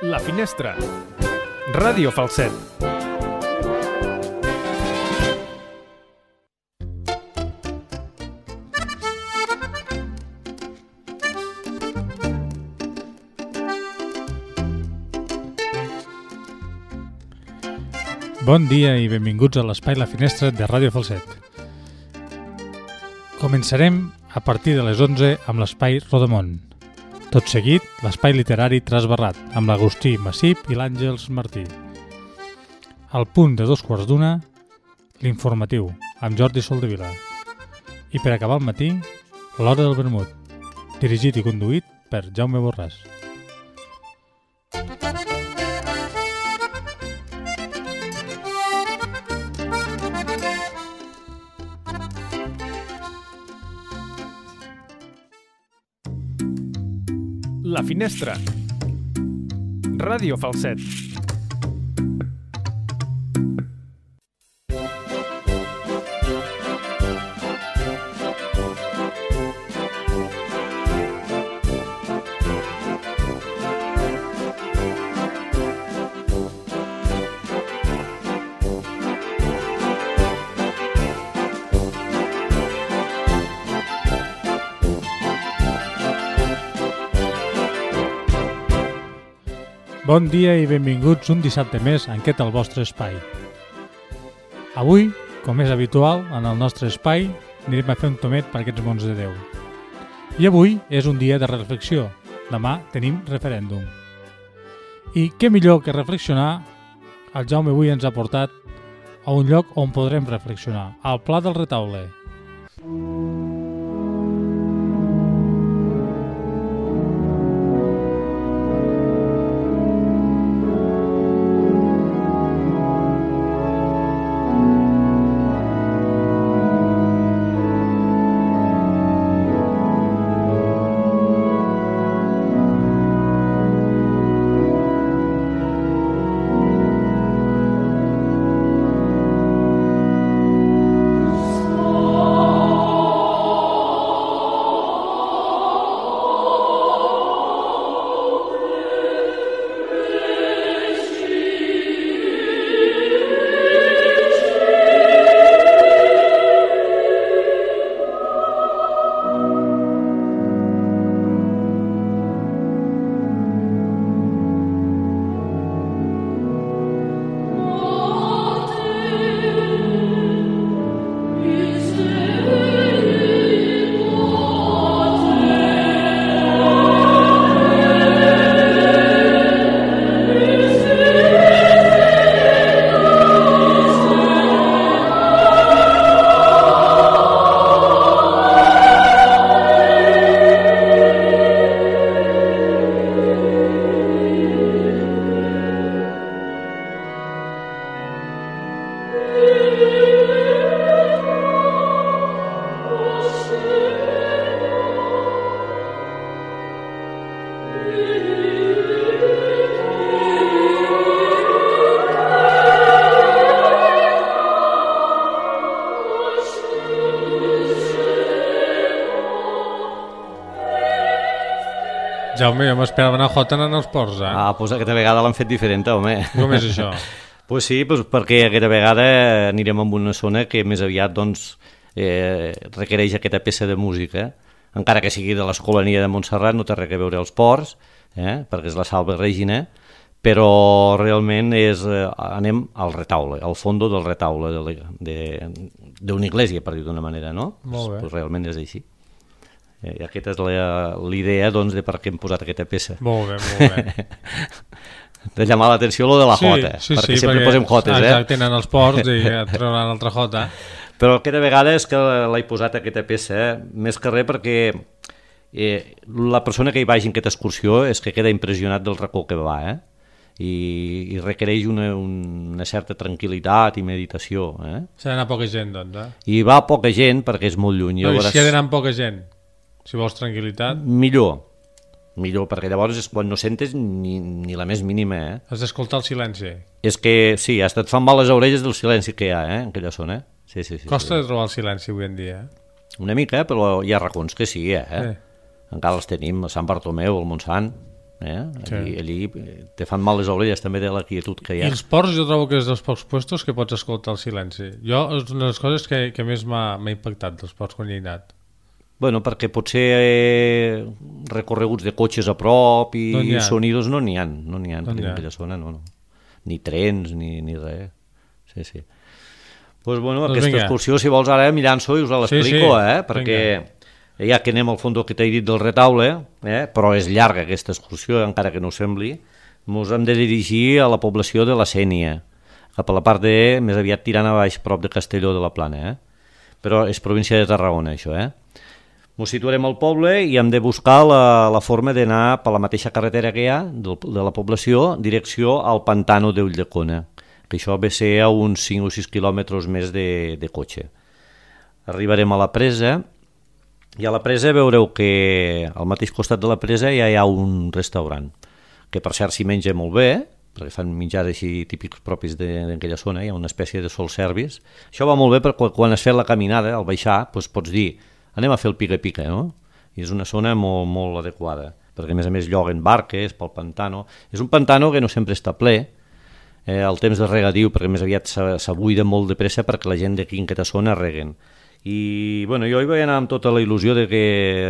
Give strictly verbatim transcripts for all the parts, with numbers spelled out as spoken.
La Finestra. Ràdio Falset. Bon dia i benvinguts a l'espai La Finestra de Ràdio Falset. Començarem a partir de les onze amb l'espai Rodamont. Tot seguit, l'espai literari Trasbarrat, amb l'Agustí Massip i l'Àngels Martí. Al punt de dos quarts d'una, l'informatiu, amb Jordi Soldevila. I per acabar el matí, l'Hora del Vermut, dirigit i conduït per Jaume Borràs. La Finestra. Ràdio Falset. Bon dia i benvinguts un dissabte més en aquest el vostre espai. Avui, com és habitual, en el nostre espai anirem a fer un tomet per aquests mons de Déu. I avui és un dia de reflexió. Demà tenim referèndum. I què millor que reflexionar, el Jaume avui ens ha portat a un lloc on podrem reflexionar, al Pla del Retaule. Jaume, jo m'esperava anar a Jota en els ports, eh? Ah, doncs aquesta vegada l'han fet diferent, home. Com és això? Pues sí, pues perquè aquesta vegada anirem a una zona que més aviat doncs, eh, requereix aquesta peça de música, encara que sigui de l'Escolania de Montserrat, no té res a veure als ports, eh, perquè és la Salve Regina, però realment és, eh, anem al retaule, al fondo del retaule d'una de, de, església, per dir d'una manera, no? Molt bé. Pues realment és així. I aquesta és l'idea doncs, de per què hem posat aquesta peça. Molt bé, molt bé. De llamar l'atenció lo de la sí, jota, sí, perquè sí, sempre perquè, posem jotes. Exacte, eh? tenen els ports i et trauran altra jota. Però aquesta vegada és que l'he posat aquesta peça, eh? Més que res perquè eh, la persona que hi vagi en aquesta excursió és que queda impressionat del racó que va, eh? I, i requereix una, una certa tranquil·litat i meditació. Eh? S'ha d'anar poca gent, doncs, eh? I va poca gent perquè és molt lluny. No, i veuràs... si ha d'anar amb poca gent? Si vols tranquil·litat... Millor. Millor, perquè llavors és quan no sentes ni, ni la més mínima, eh? Has d'escoltar el silenci. És que, sí, hasta et fan mal les orelles del silenci que hi ha, eh? En aquella zona. Sí, sí, sí, Costa sí. de trobar el silenci avui en dia, eh? Una mica, però hi ha racons que sí, eh? Sí. Encara els tenim, a Sant Bartomeu, al Montsant. Eh? Sí. Allí, allí te fan mal les orelles també de la quietud que hi ha. I els ports jo trobo que és dels pocs puestos que pots escoltar el silenci. Jo és una de les coses que, que més m'ha impactat dels ports quan hi he anat. Bueno, perquè potser eh, recorreguts de cotxes a prop i no sonidos no n'hi ha, no n'hi ha no en aquella zona, no, no. Ni trens, ni, ni res. Sí, sí. Pues bueno, doncs aquesta vinga. Excursió, si vols ara mi llanço i us l'explico, sí, sí. eh? Perquè vinga. Ja que anem al fons que t'he dit del retaule, eh? Però és llarga aquesta excursió, encara que no ho sembli, ens hem de dirigir a la població de la Sénia, cap a la part de, més aviat tirant a baix, prop de Castelló de la Plana, eh? Però és província de Tarragona, això, eh? Ens situarem al poble i hem de buscar la, la forma d'anar per la mateixa carretera que hi ha de, de la població, direcció al pantano d'Ulldecona, que això ve a ser a uns cinc o sis quilòmetres més de, de cotxe. Arribarem a la presa i a la presa veureu que al mateix costat de la presa ja hi ha un restaurant, que per cert s'hi menja molt bé, perquè fan menjars així típics propis d'aquella zona, hi ha una espècie de soul service. Això va molt bé perquè quan has fet la caminada, al baixar, doncs pots dir anem a fer el pica-pica, no? I és una zona molt, molt adequada, perquè a més a més lloguen barques pel pantano. És un pantano que no sempre està ple, eh, el temps de regadiu, perquè més aviat s'abuida molt de pressa perquè la gent d'aquí en aquesta zona reguen. I bueno, jo hi vaig anar amb tota la il·lusió de que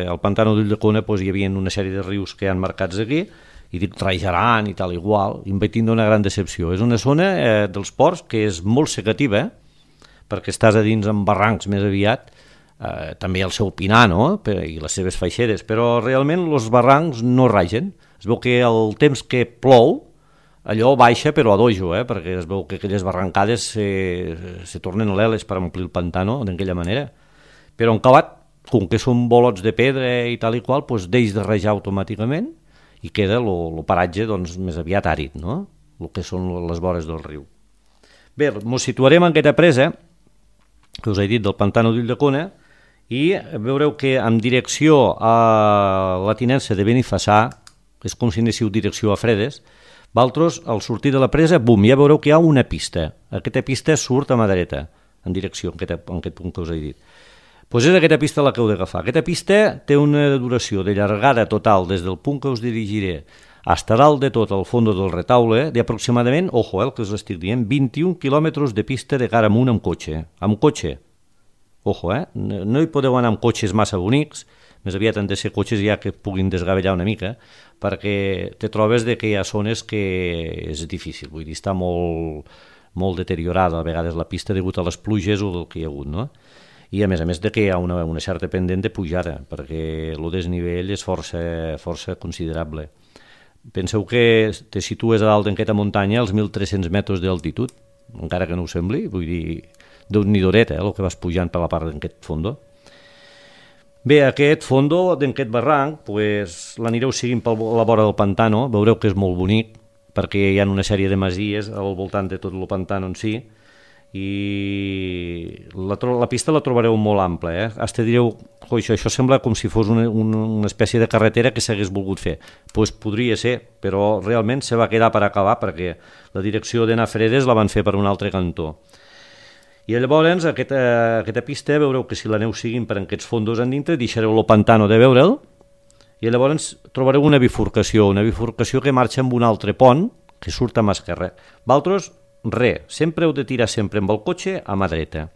al pantano d'Ulldecona pues, hi havia una sèrie de rius que han marcats aquí, i dic rajaran i tal igual, i em vaig tindre una gran decepció. És una zona eh, dels ports que és molt secativa, eh? Perquè estàs a dins amb barrancs més aviat, Eh, també el seu pinar, no? I les seves faixeres, però realment els barrancs no ragen. Es veu que el temps que plou allò baixa però a dojo, eh? Perquè es veu que aquelles barrancades se, se tornen leles per omplir el pantano d'aquella manera, però en acabat, com que són bolots de pedra i tal i qual, doncs deix de rajar automàticament i queda el paratge doncs, més aviat àrid, no? El que són les vores del riu. Bé, ens situarem en aquesta presa que us he dit del pantano d'Ulldecona i veureu que en direcció a la tinença de Benifassà, és com si anéssiu direcció a Fredes, vosaltres al sortir de la presa, bum, ja veureu que hi ha una pista. Aquesta pista surt a mà dreta, en direcció, en aquest, en aquest punt que us he dit. Doncs és aquesta pista la que heu d'agafar. Aquesta pista té una duració de llargada total des del punt que us dirigiré fins a dalt de tot al fons del retaule d'aproximadament, ojo, eh, el que us estic dient, vint-i-un quilòmetres de pista de cara amunt amb cotxe. Amb cotxe. Ojo, eh? No hi podeu anar amb cotxes massa bonics, més aviat han de ser cotxes ja que puguin desgavellar una mica, perquè te trobes de que hi ha zones que és difícil, vull dir, està molt, molt deteriorada a vegades la pista degut a les pluges o del que hi ha hagut, no? I a més a més de que hi ha una, una certa pendent de pujada, perquè el desnivell és força, força considerable. Penseu que te situes a dalt d'aquesta muntanya als mil tres-cents metres d'altitud, encara que no ho sembli, vull dir, d'un nidoret, eh, el que vas pujant per la part d'aquest fondo. Bé, aquest fondo d'aquest barranc, pues, l'anireu seguint per la vora del pantano, veureu que és molt bonic, perquè hi ha una sèrie de masies al voltant de tot el pantano en si, i la, la pista la trobareu molt ampla, eh? Hasta direu, oh, això, això sembla com si fos una, una, una espècie de carretera que s'hagués volgut fer. Pues podria ser, però realment se va quedar per acabar, perquè la direcció d'anar a Fredes la van fer per un altre cantó. I llavors, aquesta, aquesta pista, veureu que si l'aneu seguint per aquests fondos en dintre, deixareu el pantano de veure'l, i llavors trobareu una bifurcació, una bifurcació que marxa amb un altre pont, que surt a mà esquerra. Vosaltres, res, sempre heu de tirar sempre amb el cotxe a mà dreta.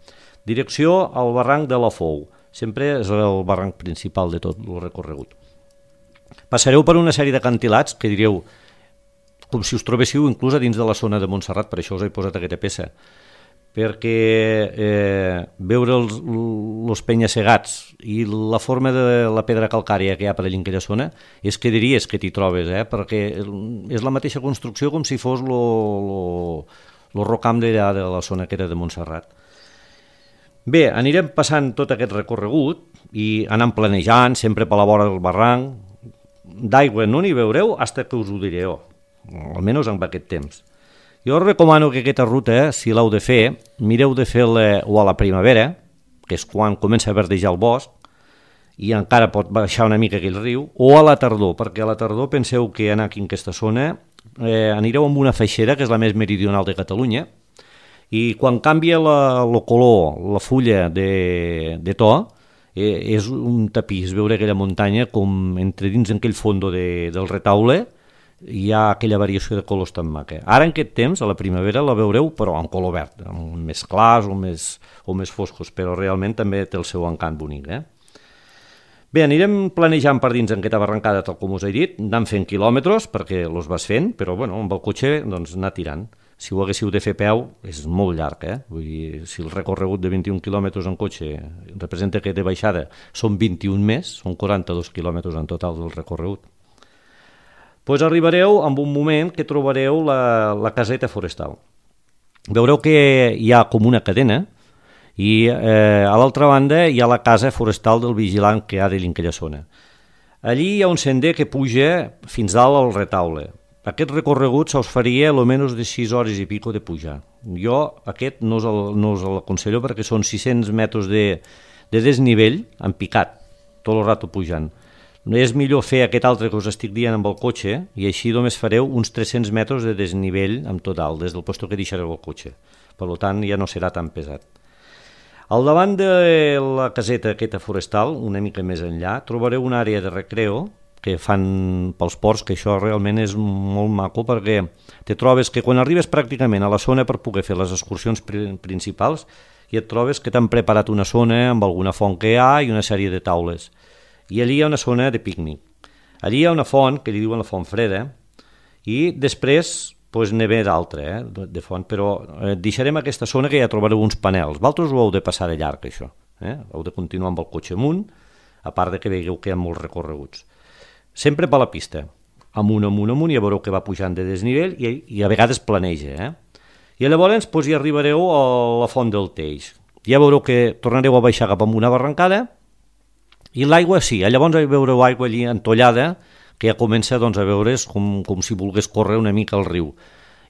Direcció al barranc de la Fou, sempre és el barranc principal de tot el recorregut. Passareu per una sèrie d'acantilats que diríeu, com si us trobéssiu inclús a dins de la zona de Montserrat, per això us he posat aquesta peça, perquè eh, veure els, els penya-segats i la forma de la pedra calcària que hi ha per allà en aquella zona és que diries que t'hi trobes, eh? Perquè és la mateixa construcció com si fos el rocam de la zona que era de Montserrat. Bé, anirem passant tot aquest recorregut i anant planejant, sempre per la vora del barranc. D'aigua no n'hi veureu fins que us ho diré, oh, almenys en aquest temps. Jo us recomano que aquesta ruta, si l'heu de fer, mireu de fer-la o a la primavera, que és quan comença a verdejar el bosc, i encara pot baixar una mica aquell riu, o a la tardor, perquè a la tardor penseu que anar aquí en aquesta zona eh, anireu amb una feixera, que és la més meridional de Catalunya, i quan canvia la, el color, la fulla de, de to, eh, és un tapís veure aquella muntanya com entre dins aquell fondo de, del retaule, hi ha aquella variació de colors tan maca. Ara en aquest temps, a la primavera, la veureu però en color verd, més clars o més, o més foscos, però realment també té el seu encant bonic. Eh? Bé, anirem planejant per dins en aquesta barrancada, tal com us he dit, anant fent quilòmetres perquè els vas fent, però bueno, amb el cotxe doncs, anar tirant. Si ho haguéssiu de fer a peu, és molt llarg, eh? Vull dir, si el recorregut de vint-i-un quilòmetres en cotxe representa que de baixada són vint-i-un més, són quaranta-dos quilòmetres en total del recorregut. Pues arribareu en un moment que trobareu la, la caseta forestal. Veureu que hi ha com una cadena i eh, a l'altra banda hi ha la casa forestal del vigilant que ha de aquella zona. Allí hi ha un sender que puja fins dalt al retaule. Aquest recorregut se us faria almenys de sis hores i pico de pujar. Jo aquest no us, el, no us l'aconsello perquè són sis-cents metres de, de desnivell en picat, tot el rato pujant. És millor fer aquest altre que us estic dient amb el cotxe i així només fareu uns tres-cents metres de desnivell en total, des del lloc que deixareu el cotxe. Per tant, ja no serà tan pesat. Al davant de la caseta aquesta forestal, una mica més enllà, trobareu una àrea de recreo que fan pels ports, que això realment és molt maco perquè te trobes que quan arribes pràcticament a la zona per poder fer les excursions principals i et trobes que t'han preparat una zona amb alguna font que hi ha i una sèrie de taules. I allí hi ha una zona de pícnic. Allí hi ha una font, que li diuen la font freda, i després pues, n'hi ve d'altra, eh, de font, però eh, deixarem aquesta zona que ja trobareu uns panels. Vosaltres ho heu de passar de llarg, això. Eh? Heu de continuar amb el cotxe amunt, a part de que veieu que hi ha molts recorreguts. Sempre per la pista, amunt, amunt, amunt, i ja veureu que va pujant de desnivell i, i a vegades planeja. Eh? I llavors doncs, hi arribareu a la font del Teix. Ja veureu que tornareu a baixar cap amb una barrancada i l'aigua sí, llavors veureu aigua allí entollada que ja comença doncs, a veure's com, com si volgués córrer una mica al riu.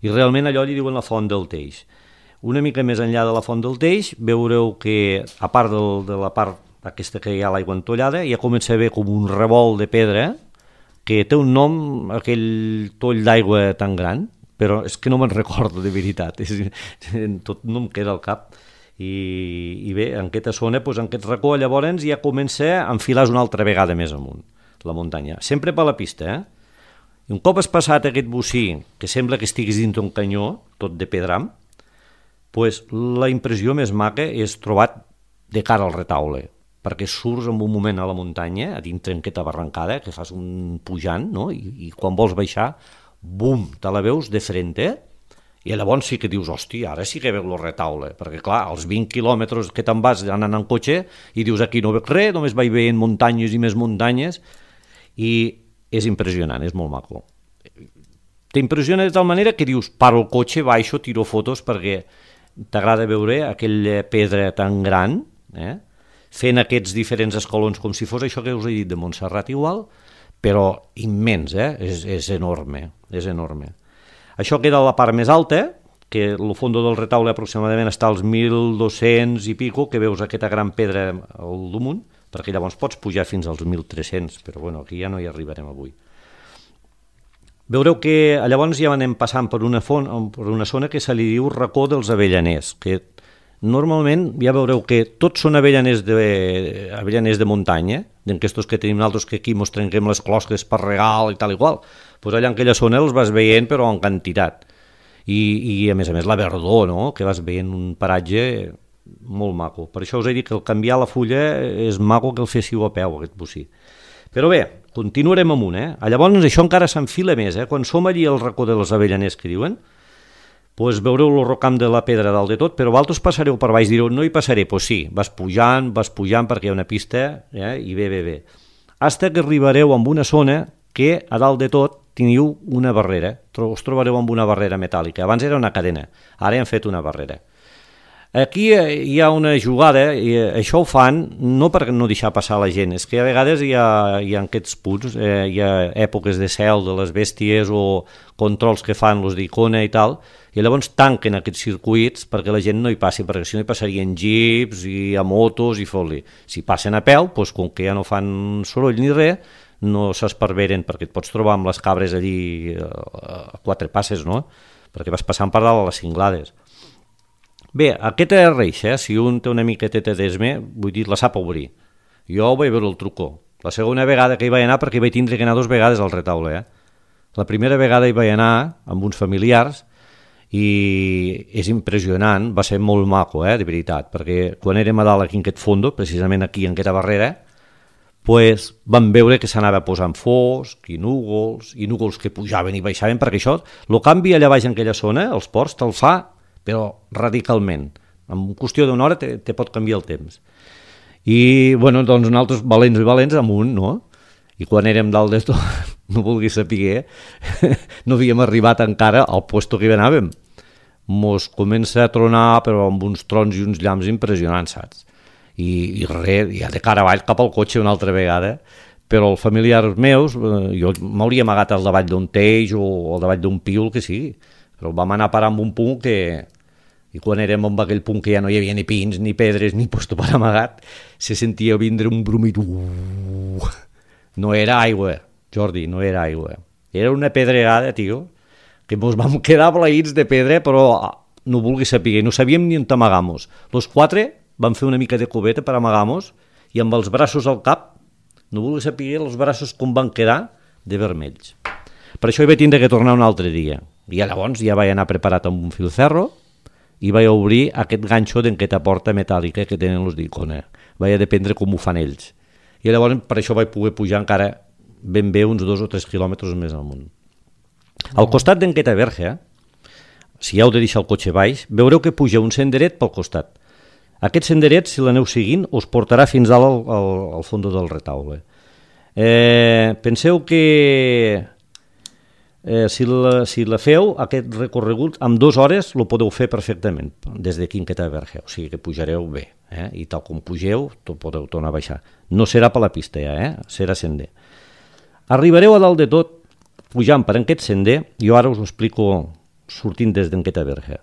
I realment allò li diuen la font del Teix. Una mica més enllà de la font del Teix veureu que a part del, de la part aquesta que hi ha l'aigua entollada ja comença a haver com un revolt de pedra que té un nom, aquell toll d'aigua tan gran, però és que no me'n recordo de veritat, és, tot no em queda al cap. I, i bé, en aquesta zona, doncs, en aquest racó, llavors ja comença a enfilar una altra vegada més amunt, la muntanya. Sempre per la pista, eh? I un cop has passat aquest bocí, que sembla que estiguis dins d'un canyó, tot de pedram, doncs la impressió més maca és trobat de cara al retaule, perquè surts en un moment a la muntanya, a dintre en aquesta barrancada, que fas un pujant, no? I, i quan vols baixar, bum, te la veus de frente, i llavors sí que dius, hòstia, ara sí que veu el retaule, perquè clar, als vint quilòmetres que te'n vas anant en cotxe, i dius, aquí no veig res, només vaig veient muntanyes i més muntanyes, i és impressionant, és molt maco. T'impressiona de tal manera que dius, paro el cotxe, baixo, tiro fotos, perquè t'agrada veure aquella pedra tan gran, eh? Fent aquests diferents escalons com si fos això que us he dit de Montserrat igual, però immens, eh? és, és enorme, és enorme. Això queda a la part més alta, que el fons del retaule aproximadament està als mil dos-cents i pico, que veus aquesta gran pedra al damunt, perquè llavors pots pujar fins als mil tres-cents, però bueno, aquí ja no hi arribarem avui. Veureu que llavors ja anem passant per una, font, per una zona que se li diu racó dels avellaners, que normalment ja veureu que tots són avellaners de, avellaners de muntanya, d'aquestos que tenim nosaltres que aquí mos trenquem les closques per regal i tal i qual. Pues allà en aquella zona els vas veient però en quantitat. I, i a més a més la verdor, no? Que vas veient un paratge molt maco. Per això us he dit que el canviar la fulla és maco que el féssiu a peu, aquest bocí. Però bé, continuarem amunt, eh? Llavors això encara s'enfila més, eh? Quan som allí al racó dels avellaners que diuen, pues veureu el rocam de la pedra dalt de tot, però vosaltres passareu per baix, direu, no hi passaré, doncs sí, vas pujant, vas pujant perquè hi ha una pista, eh? I bé, bé, bé. Hasta que arribareu amb una zona que a dalt de tot teniu una barrera, us trobareu amb una barrera metàl·lica, abans era una cadena, ara han fet una barrera. Aquí hi ha una jugada, i això ho fan no per no deixar passar la gent, és que a vegades hi ha, hi ha aquests punts, eh, hi ha èpoques de cel de les bèsties o controls que fan los d'Icona i tal, i llavors tanquen aquests circuits perquè la gent no hi passi, perquè si no hi passarien jeeps i a motos i fot-li. Si passen a peu, doncs, com que ja no fan soroll ni res, no s'esparveren, perquè et pots trobar amb les cabres allí a quatre passes, no? Perquè vas passant per dalt a les cinglades. Bé, aquesta reixa, eh? Si un té una miqueteta d'esme, vull dir, la sap obrir. Jo vaig veure el trucó. La segona vegada que hi vaig anar, perquè hi vaig tindre que anar dues vegades al retaule, eh? La primera vegada hi vaig anar amb uns familiars i és impressionant, va ser molt maco, eh, de veritat, perquè quan érem a dalt aquí en aquest fondo, precisament aquí en aquesta barrera, pues, vam veure que s'anava posant fosc i núvols, i núvols que pujaven i baixaven, perquè això, el canvi allà baix en aquella zona, els ports, te'l fa, però radicalment. En qüestió d'una hora te, te pot canviar el temps. I, bueno, doncs nosaltres, valents i valents, amunt, no? I quan érem dalt d'esto, no vulguis saber, no havíem arribat encara al puesto que hi anàvem. Mos comença a tronar, però amb uns trons i uns llamps impressionants, saps? I, i res, ja de cara avall cap al cotxe una altra vegada, però els familiars meus, eh, jo m'hauria amagat al davall d'un teix o al davall d'un piul, que sigui, però vam anar a parar amb un punt que, i quan érem en aquell punt que ja no hi havia ni pins, ni pedres, ni puesto per amagat, se sentia vindre un brumit. Uh, no era aigua, Jordi, no era aigua. Era una pedregada, tio, que ens vam quedar blaïts de pedra, però no vulguis saber, no sabíem ni on amagamos. Los quatre vam fer una mica de cubeta per amagar-nos i amb els braços al cap, no vulguis saber els braços com van quedar de vermells. Per això hi vaig tindre que tornar un altre dia. I llavors ja vaig anar preparat amb un filferro i vaig obrir aquest ganxo d'aquesta porta metàl·lica que tenen els d'Icona. Vaig dependre com ho fan ells. I llavors per això vaig poder pujar encara ben bé uns dos o tres quilòmetres més amunt. Al costat d'aquesta verge, si heu de deixar el cotxe baix, veureu que puja un senderet pel costat. Aquest senderet, si l'aneu seguint, us portarà fins al, al, al fons del retaule. Eh, penseu que eh, si, la, si la feu, aquest recorregut, amb dues hores lo podeu fer perfectament, des d'aquí en aquesta verge. O sigui que pujareu bé, eh? I tal com pugeu, podeu tornar a baixar. No serà per la pista ja, eh? Serà sender. Arribareu a dalt de tot, pujant per aquest sender, jo ara us ho explico sortint des d'aquesta verge.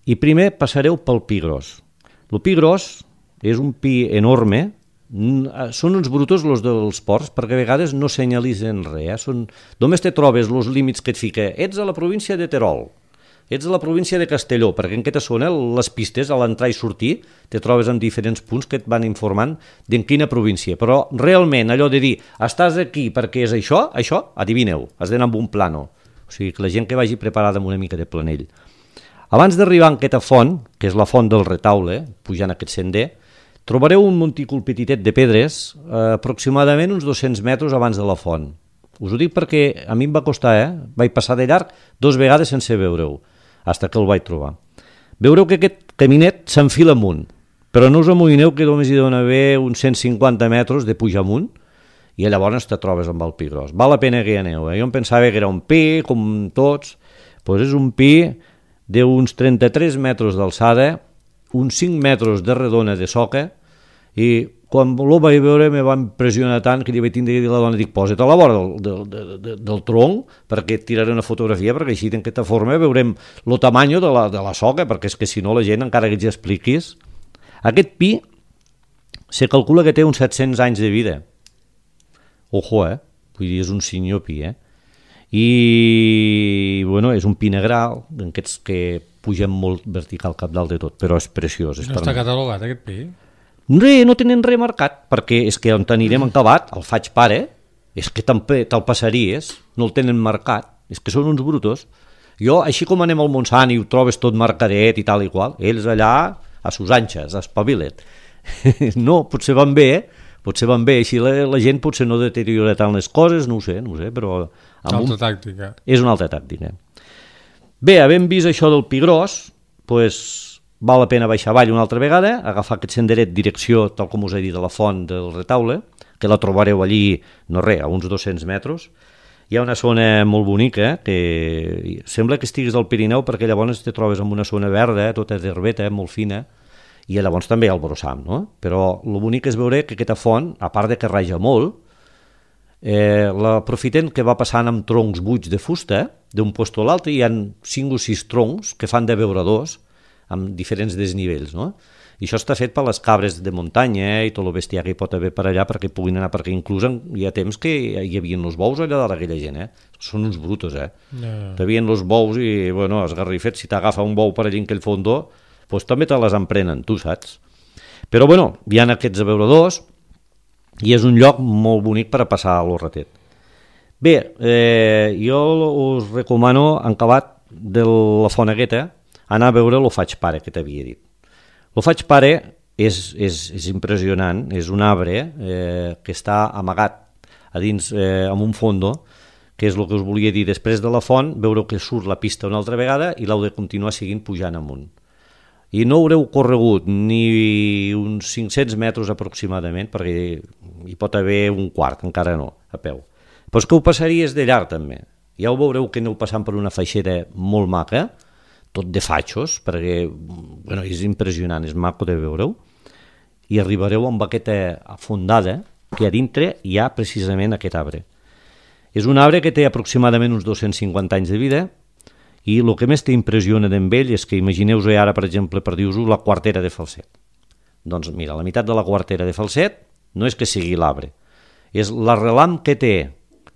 I primer passareu pel Pi Gros. El Pi Gros és un pi enorme, són uns brutos els dels ports, perquè a vegades no senyalitzen res. Eh? Són... Només te trobes els límits que et fica. Ets a la província de Terol, ets a la província de Castelló, perquè en aquesta zona les pistes, a l'entrar i sortir, te trobes en diferents punts que et van informant d'en quina província. Però realment allò de dir, estàs aquí perquè és això, això, adivineu, has d'anar amb un plano. O sigui, que la gent que vagi preparada amb una mica de planell. Abans d'arribar a aquesta font, que és la font del Retaule, pujant aquest sender, trobareu un montícul petitet de pedres, eh, aproximadament uns dos-cents metres abans de la font. Us ho dic perquè a mi em va costar, eh? Vaig passar de llarg dos vegades sense veure-ho, fins que el vaig trobar. Veureu que aquest caminet s'enfila amunt, però no us amoïneu que només hi dona haver uns cent cinquanta metres de pujar amunt, i llavors te trobes amb el Pi Gros. Val la pena que hi aneu, eh? Jo em pensava que era un pi, com tots, doncs és un pi d'uns trenta-tres metres d'alçada, uns cinc metres de redona de soca, i quan ho vaig veure me va impressionar tant que li vaig tindre que dir a la dona, dic, posa't a la vora del, del, del, del tronc perquè et tiraré una fotografia, perquè així d'aquesta forma veurem el tamany de la, de la soca, perquè és que si no la gent, encara que ets expliquis, aquest pi se calcula que té uns set-cents anys de vida. Ojo, eh? Vull dir, és un senyor pi, eh? I, bueno, és un pi negral, d'aquests que pugen molt vertical cap dalt de tot, però és preciós. És no està catalogat, aquest pi? Re, no tenen res marcat, perquè és que on anirem acabat, el faig pare, és que te'l passaries, no el tenen marcat, és que són uns brutos. Jo, així com anem al Montsant i ho trobes tot marcadet i tal i qual, ells allà a sus anxes, espavilet. No, potser van bé, eh? Potser van bé, així la, la gent potser no deteriora tant les coses, no ho sé, no ho sé, però... Altra un... tàctica. És una altra tàctica. Bé, havent vist això del Pi Gros, doncs val la pena baixar avall una altra vegada, agafar aquest senderet direcció, tal com us he dit, a la font del Retaule, que la trobareu allí, no res, a uns dos-cents metres. Hi ha una zona molt bonica, que sembla que estiguis al Pirineu, perquè llavors te trobes en una zona verda, tota d'herbeta, molt fina, i llavors també al brossam, no? Però el bonic és veure que aquesta font, a part de que raja molt, eh, l'aprofiten que va passant amb troncs buits de fusta, d'un lloc a l'altre, hi ha cinc o sis troncs que fan de beuradors, amb diferents desnivells, no? I això està fet per les cabres de muntanya i tot el bestiar que hi pot haver per allà perquè puguin anar, perquè inclús hi ha temps que hi havia els bous allà dalt aquella gent, eh? Són uns brutos, eh? Yeah. Hi havia els bous i, bueno, esgarrifets, si t'agafa un bou per allà en aquell fondó, doncs també te les emprenen, tu saps? Però, bueno, hi ha aquests abeuradors i és un lloc molt bonic per a passar a l'horretet. Bé, eh, jo us recomano, en acabat de la Fonegueta, anar a veure lo Faig Pare, que t'havia dit. Lo Faig Pare és, és, és impressionant, és un arbre eh, que està amagat a dins eh, amb un fondo, que és el que us volia dir. Després de la font, veureu que surt la pista una altra vegada i l'heu de continuar seguint pujant amunt. I no haureu corregut ni uns cinc-cents metres aproximadament, perquè hi pot haver un quart, encara no, a peu. Però és que ho passaries de llarg també. Ja ho veureu que aneu passant per una feixera molt maca, tot de fatxos, perquè bueno, és impressionant, és maco de veure-ho, i arribareu amb aquesta fondada que a dintre hi ha precisament aquest arbre. És un arbre que té aproximadament uns dos-cents cinquanta anys de vida i el que més t'impressiona d'en ell és que imagineu-vos ara, per exemple, per dir-vos la quartera de Falset. Doncs mira, la meitat de la quartera de Falset no és que sigui l'arbre, és l'arrelam que té,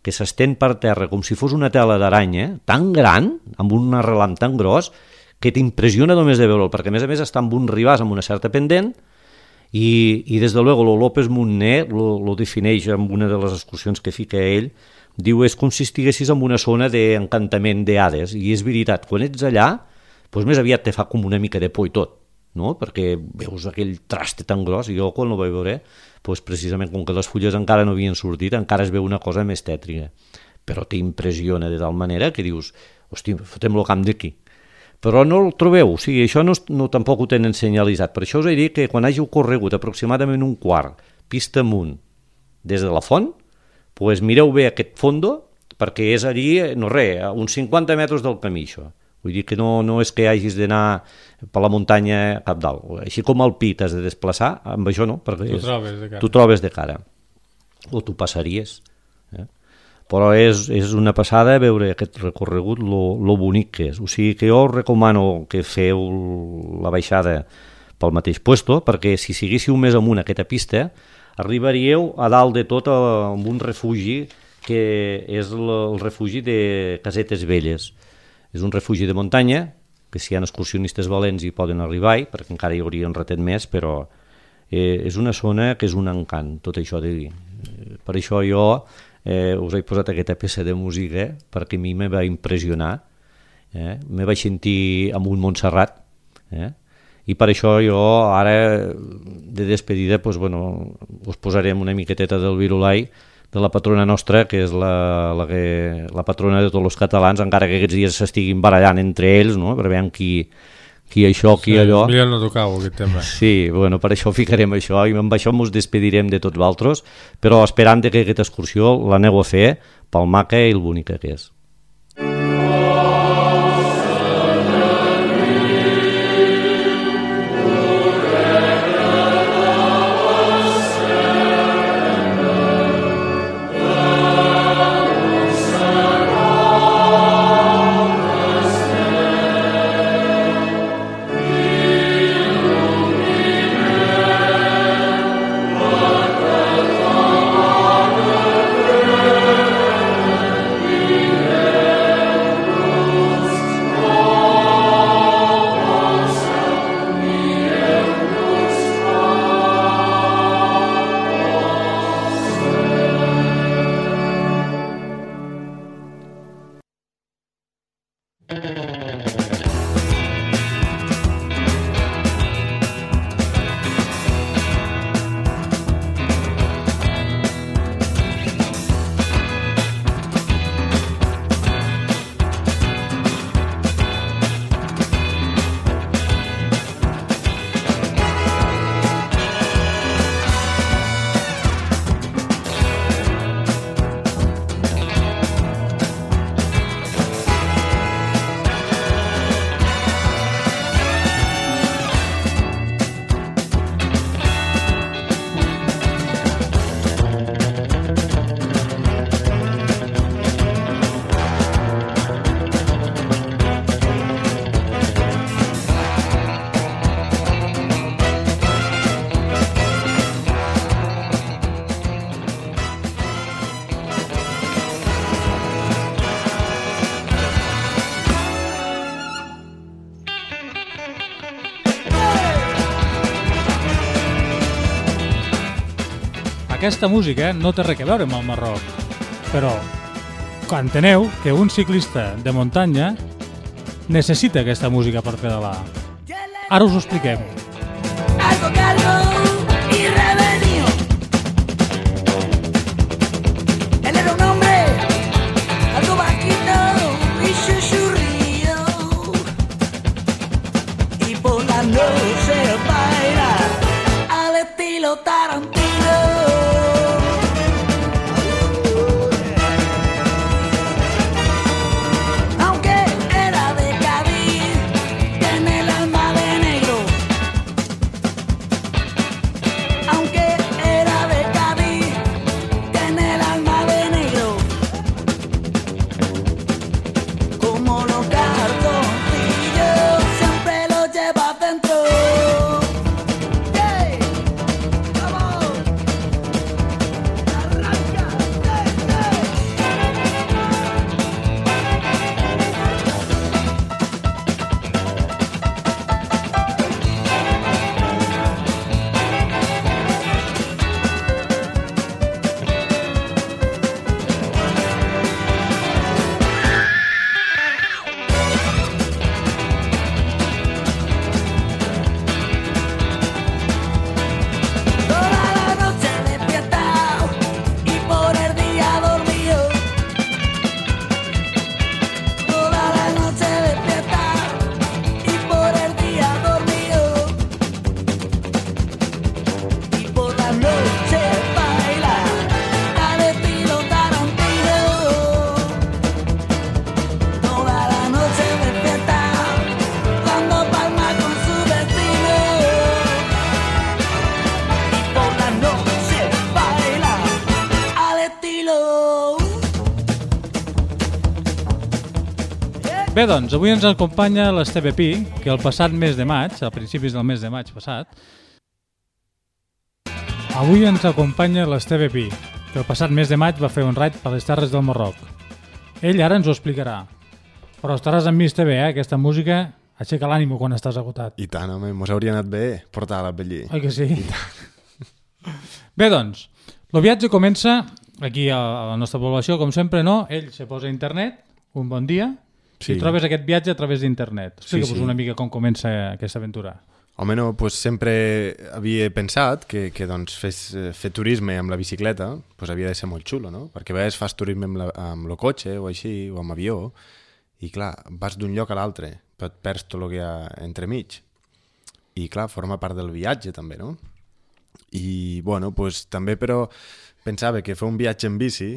que s'estén per terra com si fos una tela d'aranya, tan gran, amb un arrelam tan gros, que t'impressiona només de veure'l, perquè a més a més està amb un ribàs amb una certa pendent i, i des de luego lo López Montner lo, lo defineix amb una de les excursions que fica ell. Diu, és com si estiguessis en una zona d'encantament d'Hades, i és veritat, quan ets allà, doncs més aviat te fa com una mica de por i tot, no? Perquè veus aquell traste tan gros, i jo quan ho vaig veure, doncs precisament com que les fulles encara no havien sortit, encara es veu una cosa més tètrica, però t'impressiona de tal manera que dius, hosti, fotem-lo camp d'aquí. Però no el trobeu, o sigui, això no, no tampoc ho tenen senyalitzat, per això us he dit que quan hàgiu corregut aproximadament un quart, pista amunt, des de la font, pues mireu bé aquest fondo, perquè és allí, no res, a uns cinquanta metres del camí, això. Vull dir que no, no és que hagis d'anar per la muntanya cap dalt. Així com al pi t'has de desplaçar, amb això no, perquè és, tu trobes de cara. O tu passaries. Eh? Però és, és una passada veure aquest recorregut, lo, lo bonic que és. O sigui que jo us recomano que feu la baixada pel mateix puesto, perquè si seguíssiu més amunt aquesta pista, arribaríeu a dalt de tot amb un refugi que és el refugi de Casetes Velles. És un refugi de muntanya, que si hi ha excursionistes valents hi poden arribar-hi, perquè encara hi hauria un ratet més, però eh, és una zona que és un encant, tot això de dir. Per això jo eh, us he posat aquesta peça de música, perquè a mi me va impressionar, eh? me vaig sentir amb un Montserrat, eh? i per això jo ara de despedida doncs, bueno, us posarem una miqueteta del Virulai de la patrona nostra, que és la, la, que, la patrona de tots els catalans, encara que aquests dies s'estiguin barallant entre ells, no? Per veure qui, qui això, qui sí, allò. Millor no tocau aquest tema. Sí, bueno, per això ficarem això i amb això ens despedirem de tots vosaltres, però esperant que aquesta excursió l'aneu a fer pel maca i el bonica que és. Aquesta música no té res a veure amb el Marroc, però enteneu que un ciclista de muntanya necessita aquesta música per pedalar. Ara us ho expliquem. Algo calvo y revenido. Él era un hombre algo bajito y chuchurrío. Y por la noche baila al estilo Tarantino. Bé, doncs, avui ens acompanya l'Esteve Pi, que el passat mes de maig, a principis del mes de maig passat, avui ens acompanya l'Esteve Pi, que el passat mes de maig va fer un raid per les terres del Marroc. Ell ara ens ho explicarà. Però estaràs amb mi, Esteve, eh? Aquesta música aixeca l'ànimo quan estàs agotat. I tant, home, mos hauria anat bé portar-la per allí. Oi que sí? Bé, doncs, el viatge comença aquí a la nostra població, com sempre, no? Ell se posa a internet, un bon dia, sí. I trobes aquest viatge a través d'internet. Explica-vos sí, sí. una mica com comença aquesta aventura. Home, no, pues sempre havia pensat que, que doncs, fes, fer turisme amb la bicicleta pues, havia de ser molt xulo, no? Perquè a vegades fas turisme amb, la, amb el cotxe o així, o amb avió, i clar, vas d'un lloc a l'altre, però et perds tot el que hi ha entremig. I clar, forma part del viatge també, no? I bueno, pues, també però pensava que fer un viatge en bici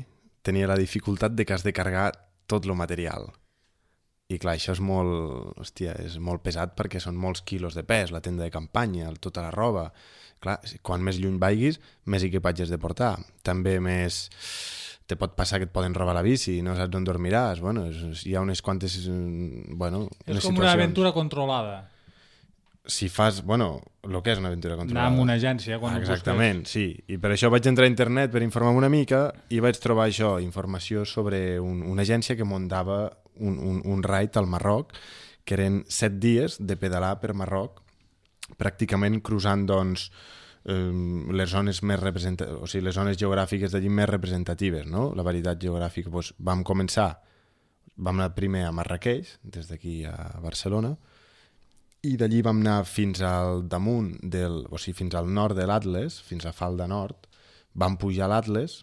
tenia la dificultat de que has de carregar tot el material. I clar, això és molt, hòstia, és molt pesat perquè són molts quilos de pes, la tenda de campanya, tota la roba. Clar, quan més lluny vagis, més equipatge has de portar. També més te pot passar que et poden robar la bici, no saps on dormiràs. Bueno, és, hi ha unes quantes bueno, és com situacions. Una aventura controlada. Si fas, bueno, el que és una aventura controlada. Anar amb una agència quan Exactament, sí. I per això vaig entrar a internet per informar-me una mica i vaig trobar això, informació sobre un, una agència que muntava un, un, un raid al Marroc, que eren set dies de pedalar per Marroc, pràcticament cruzant doncs, eh, les zones més representatives, o sigui, les zones geogràfiques d'allí més representatives, no? La varietat geogràfica. Doncs vam començar, vam anar primer a Marrakeix, des d'aquí a Barcelona, i d'allí vam anar fins al damunt, del, o sigui, fins al nord de l'Atles, fins a Falda Nord, vam pujar a l'Atles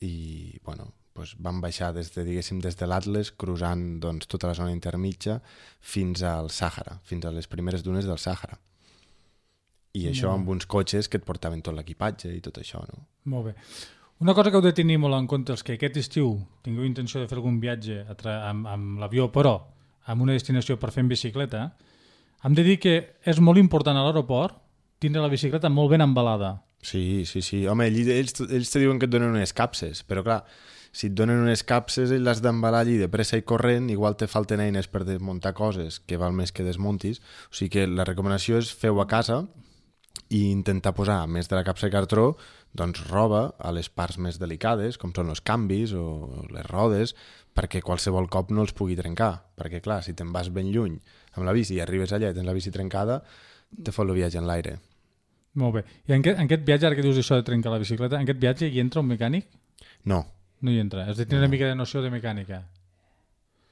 i, bueno, doncs vam baixar des de, diguéssim, des de l'Atles, cruzant doncs, tota la zona intermitja fins al Sàhara, fins a les primeres dunes del Sàhara. I no. Això amb uns cotxes que et portaven tot l'equipatge i tot això, no? Molt bé. Una cosa que heu de tenir molt en compte és que aquest estiu tingueu intenció de fer algun viatge amb, amb l'avió, però amb una destinació per fer en bicicleta, hem de dir que és molt important a l'aeroport tindre la bicicleta molt ben embalada. Sí, sí, sí. Home, ells, ells te diuen que et donen unes capses, però clar, si et donen unes capses i l'has d'embalar allí de pressa i corrent, igual te falten eines per desmuntar coses, que val més que desmuntis. O sigui que la recomanació és fer-ho a casa i intentar posar, a més de la capsa de cartró, doncs roba a les parts més delicades, com són els canvis o les rodes, perquè qualsevol cop no els pugui trencar. Perquè clar, si te'n vas ben lluny amb la bici i arribes allà i tens la bici trencada, te fot el viatge en l'aire. Molt bé. I en aquest, en aquest viatge, ara que dius això de trencar la bicicleta, en aquest viatge hi entra un mecànic? No, no hi entra. Has de tenir una mica de noció de mecànica.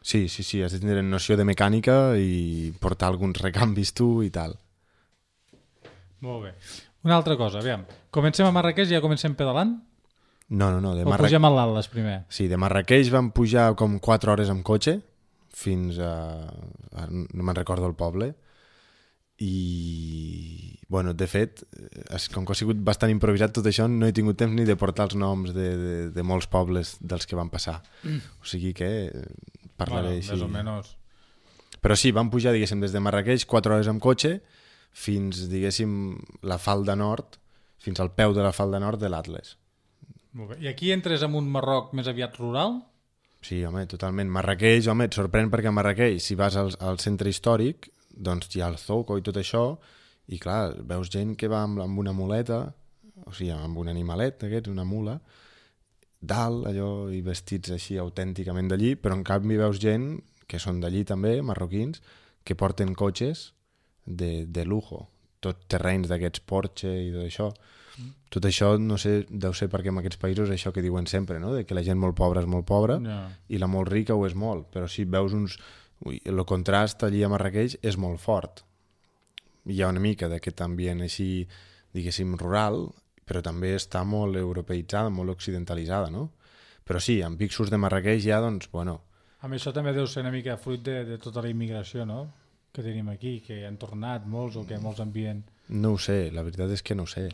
Sí, sí, sí, has de tenir noció de mecànica i portar alguns recanvis tu i tal. Molt bé. Una altra cosa, aviam. Comencem a Marrakeix i ja comencem pedalant? No, no, no. De o Marra... pugem a l'Atles primer? Sí, de Marrakeix vam pujar com quatre hores amb cotxe fins a... a no me'n recordo el poble. I, bueno, de fet, com que ha sigut bastant improvisat tot això, no he tingut temps ni de portar els noms de, de, de molts pobles dels que van passar. Mm. O sigui que parlaré bueno, així. Més o menys. Però sí, vam pujar, diguéssim, des de Marrakeix quatre hores amb cotxe fins, diguéssim, la falda nord, fins al peu de la falda nord de l'Atles. Molt bé. I aquí entres en un Marroc més aviat rural? Sí, home, totalment. Marrakeix, home, et sorprèn perquè a Marrakeix, si vas al, al centre històric, doncs hi ha el Zoco i tot això, i clar, veus gent que va amb, amb una muleta, o sigui, amb un animalet d'aquests, una mula, dalt, allò, i vestits així autènticament d'allí, però en canvi veus gent que són d'allí també, marroquins, que porten cotxes de, de lujo, tot terrenys d'aquests Porsche i tot això. Mm. Tot això, no sé, deu ser perquè en aquests països això que diuen sempre, no? De que la gent molt pobra és molt pobra no. i la molt rica ho és molt, però si veus uns... Ui, el contrast allí a Marrakeix és molt fort. Hi ha una mica d'aquest ambient així, diguéssim, rural, però també està molt europeïtzada, molt occidentalitzada, no? Però sí, amb pixos de Marrakeix ja, doncs, bueno... Amb això també deu ser una mica fruit de, de tota la immigració, no?, que tenim aquí, que han tornat molts o que molts envien... No ho sé, la veritat és que no ho sé.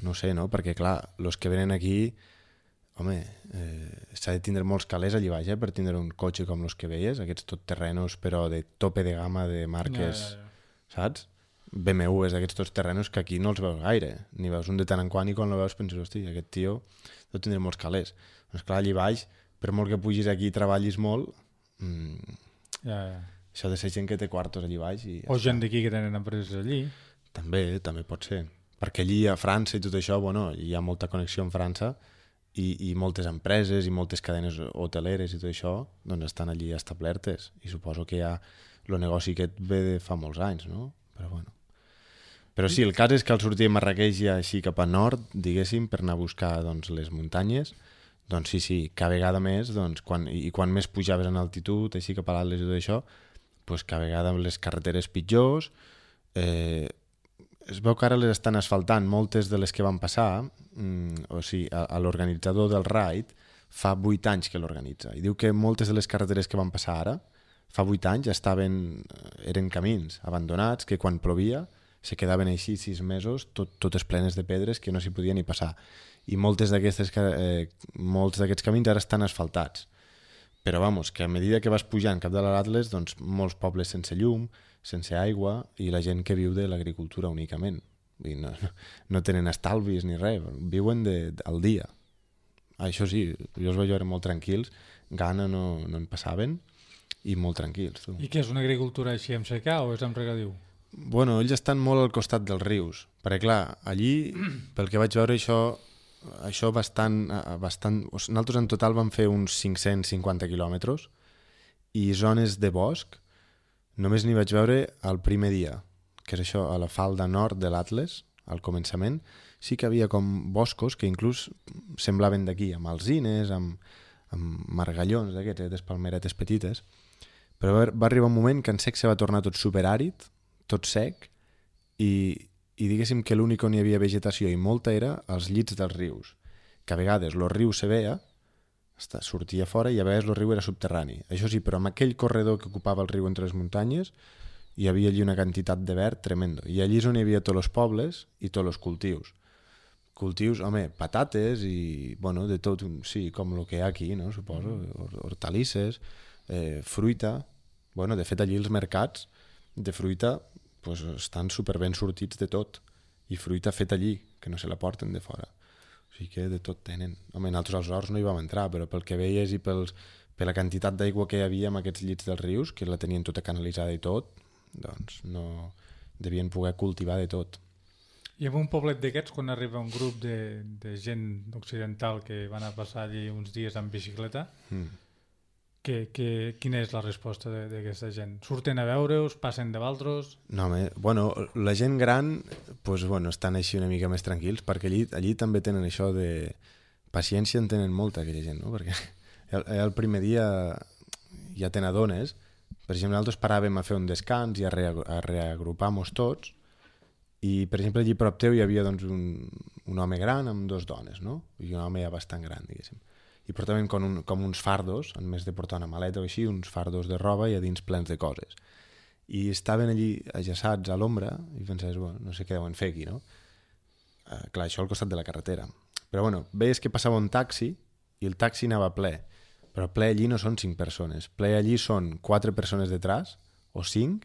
No ho sé, no? Perquè, clar, els que venen aquí... Home, eh, s'ha de tindre molts calés allí baix, eh, per tindre un cotxe com els que veies, aquests tot terrenos, però de tope de gamma de marques, ja, ja, ja. Saps? B M Ws d'aquests tots terrenos que aquí no els veus gaire. Ni veus un de tant en quant i quan el veus penses, hosti, aquest tio deu tindre molts calés. Doncs clar, allí baix, per molt que pugis aquí i treballis molt, mmm, ja, ja. això de ser gent que té quartos allí baix... I o gent d'aquí que tenen empreses allí. També, també pot ser. Perquè allí a França i tot això, bueno, hi ha molta connexió amb França, i, i moltes empreses i moltes cadenes hoteleres i tot això doncs estan allí establertes i suposo que ja el negoci aquest ve de fa molts anys, no? Però bueno. Però sí, el cas és que al sortir de Marrakeix ja així cap a nord, diguéssim, per anar a buscar doncs, les muntanyes, doncs sí, sí, cada vegada més, doncs, quan, i quan més pujaves en altitud, així cap a l'Atles i tot això, doncs cada vegada les carreteres pitjors, eh, es veu que ara les estan asfaltant, moltes de les que van passar, mm, o sigui, a, a l'organitzador del raid fa vuit anys que l'organitza, i diu que moltes de les carreteres que van passar ara, fa vuit anys, estaven, eren camins abandonats, que quan plovia se quedaven així sis mesos, tot, totes plenes de pedres, que no s'hi podia ni passar. I moltes d'aquestes, eh, molts d'aquests camins ara estan asfaltats. Però, vamos, que a medida que vas pujant cap de l'Atles, doncs, molts pobles sense llum, sense aigua, i la gent que viu de l'agricultura únicament. I no, no tenen estalvis ni res, viuen de, al dia. Això sí, jo els vaig veure molt tranquils, gana no, no en passaven, i molt tranquils. Tu. I què és, una agricultura així amb secà o és amb regadiu? Bueno, ells estan molt al costat dels rius, perquè clar, allí, pel que vaig veure, això, això bastant, bastant... Nosaltres en total vam fer uns cinc-cents cinquanta quilòmetres, i zones de bosc, només n'hi vaig veure el primer dia, que és això, a la falda nord de l'Atles, al començament, sí que havia com boscos que inclús semblaven d'aquí, amb alzines, amb, amb margallons d'aquests, aquestes palmeretes petites, però va, va arribar un moment que en sec se va tornar tot superàrid, tot sec, i, i diguéssim que l'únic on hi havia vegetació i molta era als llits dels rius, que a vegades el riu se veia, sortia fora i a vegades el riu era subterrani. Això sí, però amb aquell corredor que ocupava el riu entre les muntanyes hi havia allí una quantitat de verd tremendo. I allí és on hi havia tots els pobles i tots els cultius. Cultius, home, patates i, bueno, de tot, sí, com el que hi ha aquí, no? Suposo, hortalisses, eh, fruita. Bueno, de fet, allí els mercats de fruita pues, estan superben sortits de tot. I fruita feta allí, que no se la porten de fora. O sigui que de tot tenen. Home, nosaltres als horts no hi vam entrar, però pel que veies i pels, per la quantitat d'aigua que hi havia en aquests llits dels rius, que la tenien tota canalitzada i tot, doncs no devien poder cultivar de tot. I en un poblet d'aquests, quan arriba un grup de, de gent occidental que van a passar allí uns dies en bicicleta, mm. que, que, quina és la resposta d'aquesta gent? Surten a veure-us, passen de valtros? No, home, bueno, la gent gran pues, bueno, estan així una mica més tranquils, perquè allí, allí també tenen això de paciència en tenen molta aquella gent, no? Perquè el, el primer dia ja te n'adones. Per exemple, nosaltres paràvem a fer un descans i a, re, a reagrupar-nos tots, i per exemple allí prop teu hi havia doncs, un, un home gran amb dos dones, no? I un home ja bastant gran, diguéssim. I portaven com, un, com uns fardos, en més de portar una maleta o així, uns fardos de roba i a dins plens de coses. I estaven allí ajaçats a l'ombra i pensaves, bueno, no sé què deuen fer aquí, no? Uh, clar, això al costat de la carretera. Però bueno, veies que passava un taxi i el taxi anava ple. Però ple allí no són cinc persones. Ple allí són quatre persones detrás, o cinc,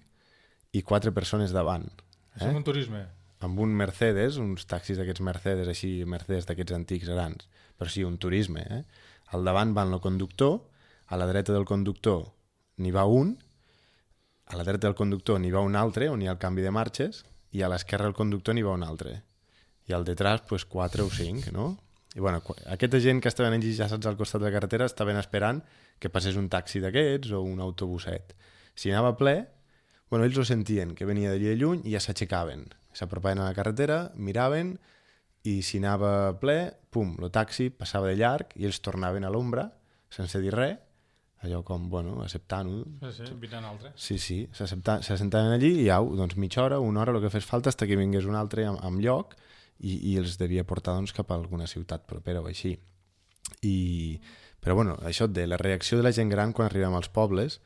i quatre persones davant. Eh? És un turisme. Amb un Mercedes, uns taxis d'aquests Mercedes, així, Mercedes d'aquests antics grans. Però sí, un turisme, eh? Al davant va el conductor, a la dreta del conductor n'hi va un, a la dreta del conductor n'hi va un altre, on hi ha el canvi de marxes, i a l'esquerra del conductor n'hi va un altre. I al detrás, pues, quatre o cinc, no? I bueno, aquesta gent que estaven enllaçats al costat de la carretera estaven esperant que passés un taxi d'aquests o un autobuset. Si anava ple, bueno, ells ho sentien, que venia d'allí de lluny i ja s'aixecaven. S'apropaven a la carretera, miraven, i si anava ple, pum, el taxi passava de llarg i ells tornaven a l'ombra, sense dir res, allò com, bueno, acceptant-ho. Sí, sí, invitant altre. Sí, sí, s'assentaven allí i au, doncs mitja hora, una hora, el que fes falta, fins que vingués un altre amb, amb lloc i, i els devia portar doncs, cap a alguna ciutat propera o així. I, però bueno, això de la reacció de la gent gran quan arribem als pobles,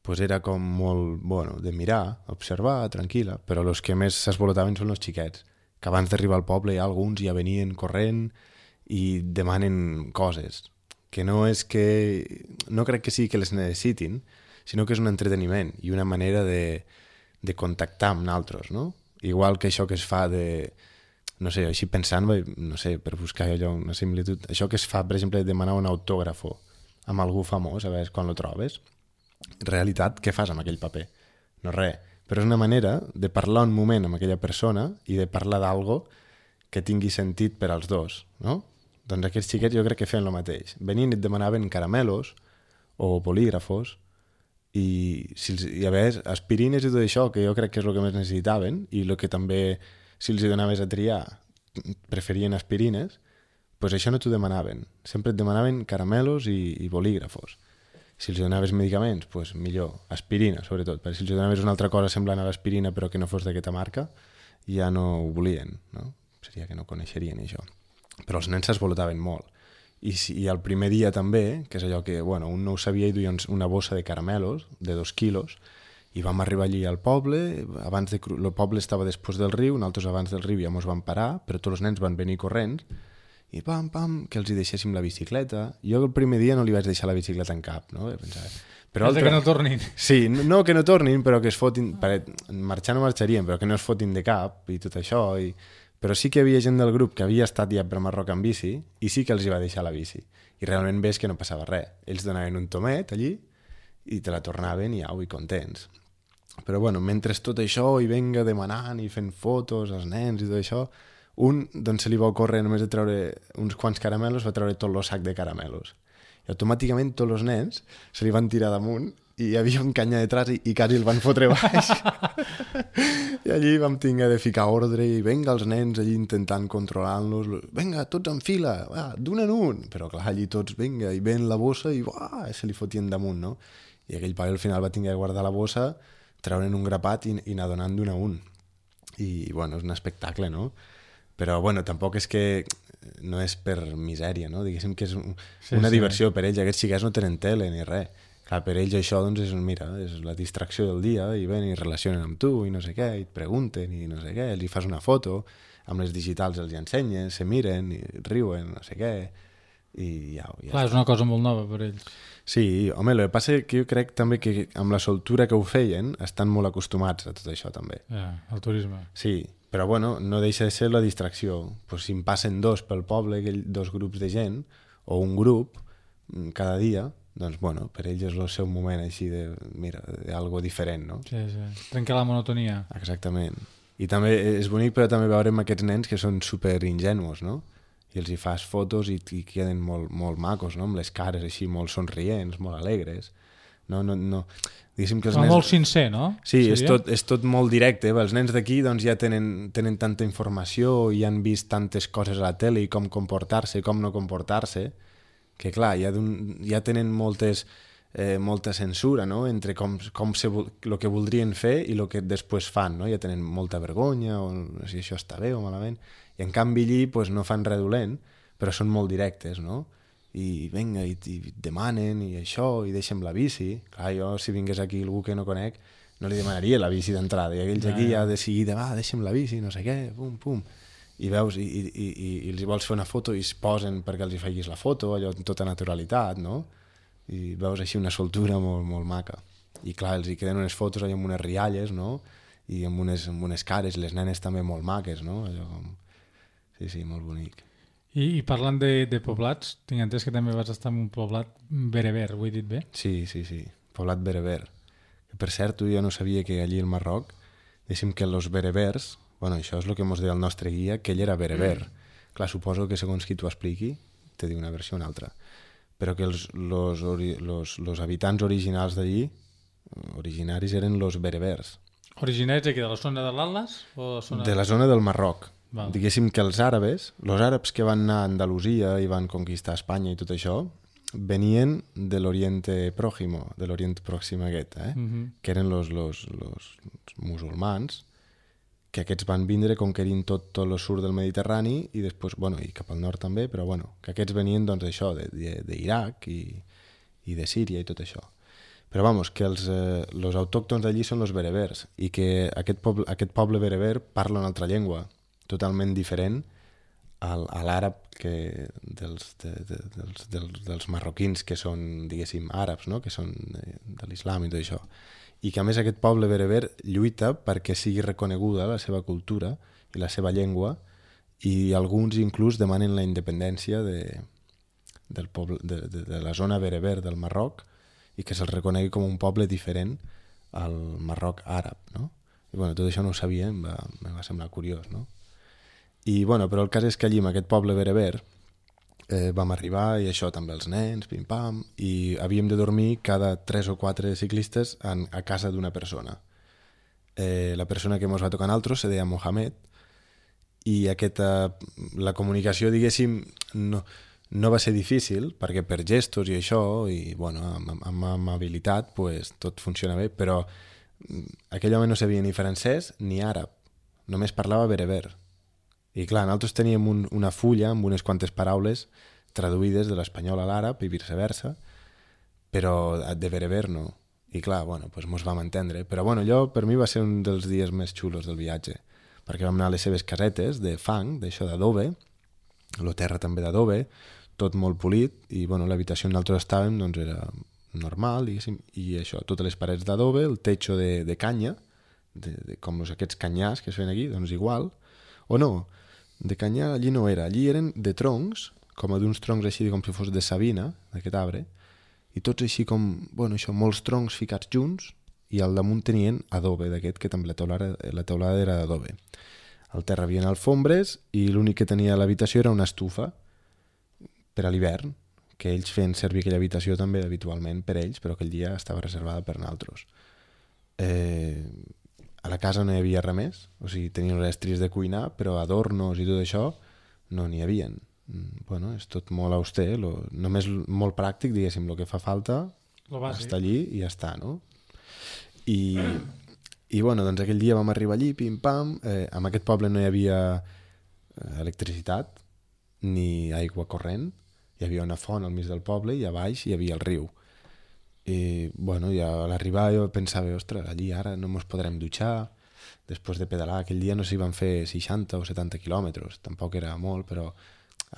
pues era com molt, bueno, de mirar, observar, tranquil·la, però els que més s'esvolotaven són els xiquets, que abans d'arribar al poble ja alguns ja venien corrent i demanen coses, que no és que... no crec que sigui que les necessitin, sinó que és un entreteniment i una manera de, de contactar amb nosaltres, no? Igual que això que es fa de... no sé, així pensant, no sé, per buscar allò una similitud, això que es fa, per exemple, de demanar un autògrafo amb algú famós, a veure quan lo trobes, en realitat, què fas amb aquell paper? No res, però és una manera de parlar un moment amb aquella persona i de parlar d'algo que tingui sentit per als dos, no? Doncs aquests xiquets jo crec que feien el mateix. Venien i et demanaven caramelos o bolígrafos i, si els, i a veure, aspirines i tot això, que jo crec que és el que més necessitaven i el que també, si els donaves a triar, preferien aspirines, doncs això no t'ho demanaven. Sempre et demanaven caramelos i, i bolígrafos. Si els donaves medicaments, doncs millor, aspirina, sobretot. Perquè si els donaves una altra cosa semblant a l'aspirina però que no fos d'aquesta marca, ja no ho volien, no? Seria que no coneixerien això. Però els nens s'esvolotaven molt. I, si, I el primer dia també, que és allò que, bueno, un no ho sabia i duia una bossa de caramelos de dos quilos, i vam arribar allí al poble, abans de, el poble estava després del riu, nosaltres abans del riu ja ens vam parar, però tots els nens van venir corrents, i pam, pam, que els hi deixéssim la bicicleta. Jo el primer dia no li vaig deixar la bicicleta en cap, no? Pensava, però altre... que no tornin. Sí, no que no tornin, però que es fotin... Marxar no marxarien, però que no es fotin de cap i tot això, i... però sí que hi havia gent del grup que havia estat ja per Marroc amb bici i sí que els hi va deixar la bici. I realment ves que no passava res. Ells donaven un tomet allí i te la tornaven i au, i contents. Però bueno, mentre tot això i venga demanant i fent fotos als nens i tot això, un doncs se li va ocórrer només de treure uns quants caramelos, va treure tot el sac de caramelos. I automàticament tots els nens se li van tirar damunt i hi havia un canya detrás i, i quasi el van fotre baix. I allí vam tinguer de ficar ordre i venga els nens allí intentant controlar-los. Venga, tots en fila, va, d'un en un. Però clar, allí tots, venga, i ven la bossa i uah, se li fotien damunt, no? I aquell pare al final va tinguer de guardar la bossa, treure'n un grapat i, i anar donant d'un a un. I, bueno, és un espectacle, no? Però, bueno, tampoc és que no és per misèria, no? Diguéssim que és un, sí, una sí. diversió per ells. Aquests xiquets no tenen tele ni res. Clar, per ells això, doncs, és, mira, és la distracció del dia, i ven i relacionen amb tu, i no sé què, i et pregunten, i no sé què, els hi fas una foto, amb les digitals els hi ensenyes, se miren, i riuen, no sé què, i ja... ja Clar, és una cosa molt nova per ells. Sí, home, el que passa que jo crec també que amb la soltura que ho feien estan molt acostumats a tot això, també. Ja, al turisme. Sí, però, bueno, no deixa de ser la distracció. Pues, si en passen dos pel poble, dos grups de gent, o un grup, cada dia... doncs, bueno, per ells és el seu moment així de, mira, d'algo diferent, no? Sí, sí, trencar la monotonia. Exactament. I també és bonic, però també veure amb aquests nens que són super ingenus, no? I els hi fas fotos i, i queden molt, molt macos, no? Amb les cares així molt somrients, molt alegres. No, no, no. Diguéssim que els Però nens... molt sincer, no? Sí, és Seria? tot, és tot molt directe. Els nens d'aquí doncs, ja tenen, tenen tanta informació i han vist tantes coses a la tele i com comportar-se, com no comportar-se, que clar, ja, ja tenen moltes, eh, molta censura, no?, entre com, com se, el que voldrien fer i el que després fan, no? Ja tenen molta vergonya, o si això està bé o malament. I en canvi allí pues, no fan res dolent, però són molt directes, no? I vinga, i, i demanen, i això, i deixem la bici. Clar, jo, si vingués aquí algú que no conec, no li demanaria la bici d'entrada, i aquells aquí ja de seguida, va, deixem la bici, no sé què, pum, pum. I veus, i, i, i, i els vols fer una foto i es posen perquè els hi facis la foto, allò amb tota naturalitat, no? I veus així una soltura molt, molt maca. I clar, els hi queden unes fotos allò amb unes rialles, no? I amb unes, amb unes cares, les nenes també molt maques, no? Allò com... Sí, sí, molt bonic. I, i parlant de, de poblats, tinc entès que també vas estar en un poblat bereber, ho he dit bé? Sí, sí, sí, poblat bereber. Que per cert, jo no sabia que allí al Marroc, deixem que els berebers, bueno, això és el que ens deia el nostre guia, que ell era bereber. Mm. Clar, suposo que segons qui t'ho expliqui, te diu una versió o una altra. Però que els los, los, los habitants originals d'allí, originaris, eren los berebers. Originaris aquí de la zona de l'Atlas? O la zona... De la zona del Marroc. Val. Diguéssim que els àrabs, els àrabs que van anar a Andalusia i van conquistar Espanya i tot això, venien de l'Oriente Próximo, de l'Orient Pròxim aquest, eh? Uh-huh. Que eren los, los, los musulmans, que aquests van vindre conquerint tot, tot el sud del Mediterrani i després, bueno, i cap al nord també, però bueno, que aquests venien doncs d'això, d'Iraq i, i de Síria i tot això. Però vamos, que els, eh, los autòctons d'allí són los berebers i que aquest poble, aquest poble bereber parla una altra llengua totalment diferent al, a l'àrab que dels, de, de, dels, dels, dels marroquins que són, diguéssim, àrabs, no? Que són de, de l'islam i tot això. I que a més aquest poble bereber lluita perquè sigui reconeguda la seva cultura i la seva llengua i alguns inclús demanen la independència de, del poble, de, de, de la zona bereber del Marroc i que se'l reconegui com un poble diferent al Marroc àrab, no? I bueno, tot això no ho sabia, em va, em va semblar curiós, no? I, bueno, però el cas és que allí, en aquest poble bereber, eh, vam arribar, i això també els nens, pim-pam, i havíem de dormir cada tres o quatre ciclistes en, a casa d'una persona. Eh, la persona que ens va tocar a nosaltres se deia Mohamed, i aquesta, la comunicació, diguéssim, no, no va ser difícil, perquè per gestos i això, i, bueno, amb, amb amabilitat, pues, tot funciona bé, però aquell home no sabia ni francès ni àrab, només parlava bereber. I clar, nosaltres teníem un, una fulla amb unes quantes paraules traduïdes de l'espanyol a l'àrab i viceversa, però de bereber no. I clar, bueno, doncs mos vam entendre. Però bueno, allò per mi va ser un dels dies més xulos del viatge, perquè vam anar a les seves casetes de fang, d'això d'adobe, la terra també d'adobe, tot molt polit, i bueno, l'habitació on nosaltres estàvem doncs era normal, diguéssim, i això, totes les parets d'adobe, el techo de, de canya, de, de, com aquests canyars que es feien aquí, doncs igual, o no, de canyar allí no era, allí eren de troncs, com a d'uns troncs així com si fos de savina, d'aquest arbre, i tots així com, bueno, això, molts troncs ficats junts, i al damunt tenien adobe d'aquest, que també la teulada, la teulada era d'adobe. Al terra havien alfombres, i l'únic que tenia a l'habitació era una estufa, per a l'hivern, que ells feien servir aquella habitació també habitualment per ells, però aquell dia estava reservada per nosaltres. Eh... A la casa no hi havia res més, o sigui, tenien les estris de cuinar, però adornos i tot això no n'hi havien. Bueno, és tot molt auster, lo, només molt pràctic, diguéssim, el que fa falta està allí i ja està, no? I, i bueno, doncs aquell dia vam arribar allí, pim-pam, eh, en aquest poble no hi havia electricitat ni aigua corrent, hi havia una font al mig del poble i a baix hi havia el riu. I, bueno, ja a l'arribar jo pensava, ostres, allí ara no ens podrem dutxar, després de pedalar, aquell dia no s'hi van fer seixanta o setanta quilòmetres, tampoc era molt, però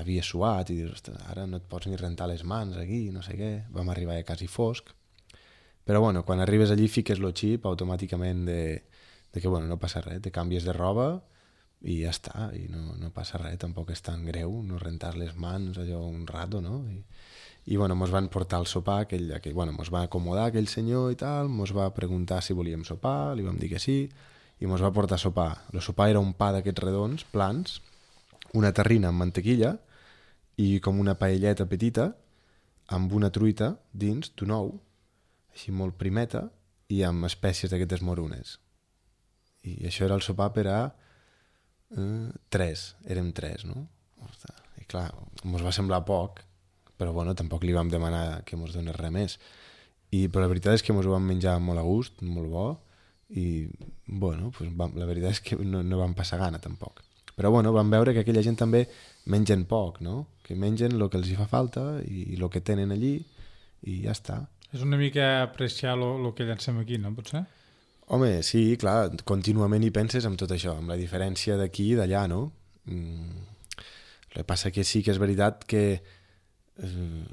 havia suat i dius, ostres, ara no et pots ni rentar les mans aquí, no sé què, vam arribar ja quasi fosc. Però bueno, quan arribes allí fiques el xip automàticament de, de que bueno, no passa res, te canvies de roba i ja està, i no, no passa res, tampoc és tan greu, no rentar les mans allò un rato, no? I, i bueno, mos van portar el sopar, aquell, aquell, bueno, mos va acomodar aquell senyor i tal, mos va preguntar si volíem sopar, li vam dir que sí, i mos va portar a sopar. El sopar era un pa d'aquests redons, plans, una terrina amb mantequilla i com una paelleta petita amb una truita dins d'un ou, així molt primeta, i amb espècies d'aquestes morunes. I això era el sopar per a eh, tres, érem tres, no? I clar, ens va semblar poc, però bueno, tampoc li vam demanar que ens donés res més. I, però la veritat és que ens ho vam menjar molt a gust, molt bo, i bueno, pues vam, la veritat és que no, no vam passar gana tampoc. Però bueno, vam veure que aquella gent també mengen poc, no? Que mengen el que els hi fa falta i el que tenen allí i ja està. És una mica apreciar el que llancem aquí, no? Potser? Home, sí, clar, contínuament hi penses amb tot això, amb la diferència d'aquí i d'allà, no? Mm, el que passa que sí que és veritat que eh,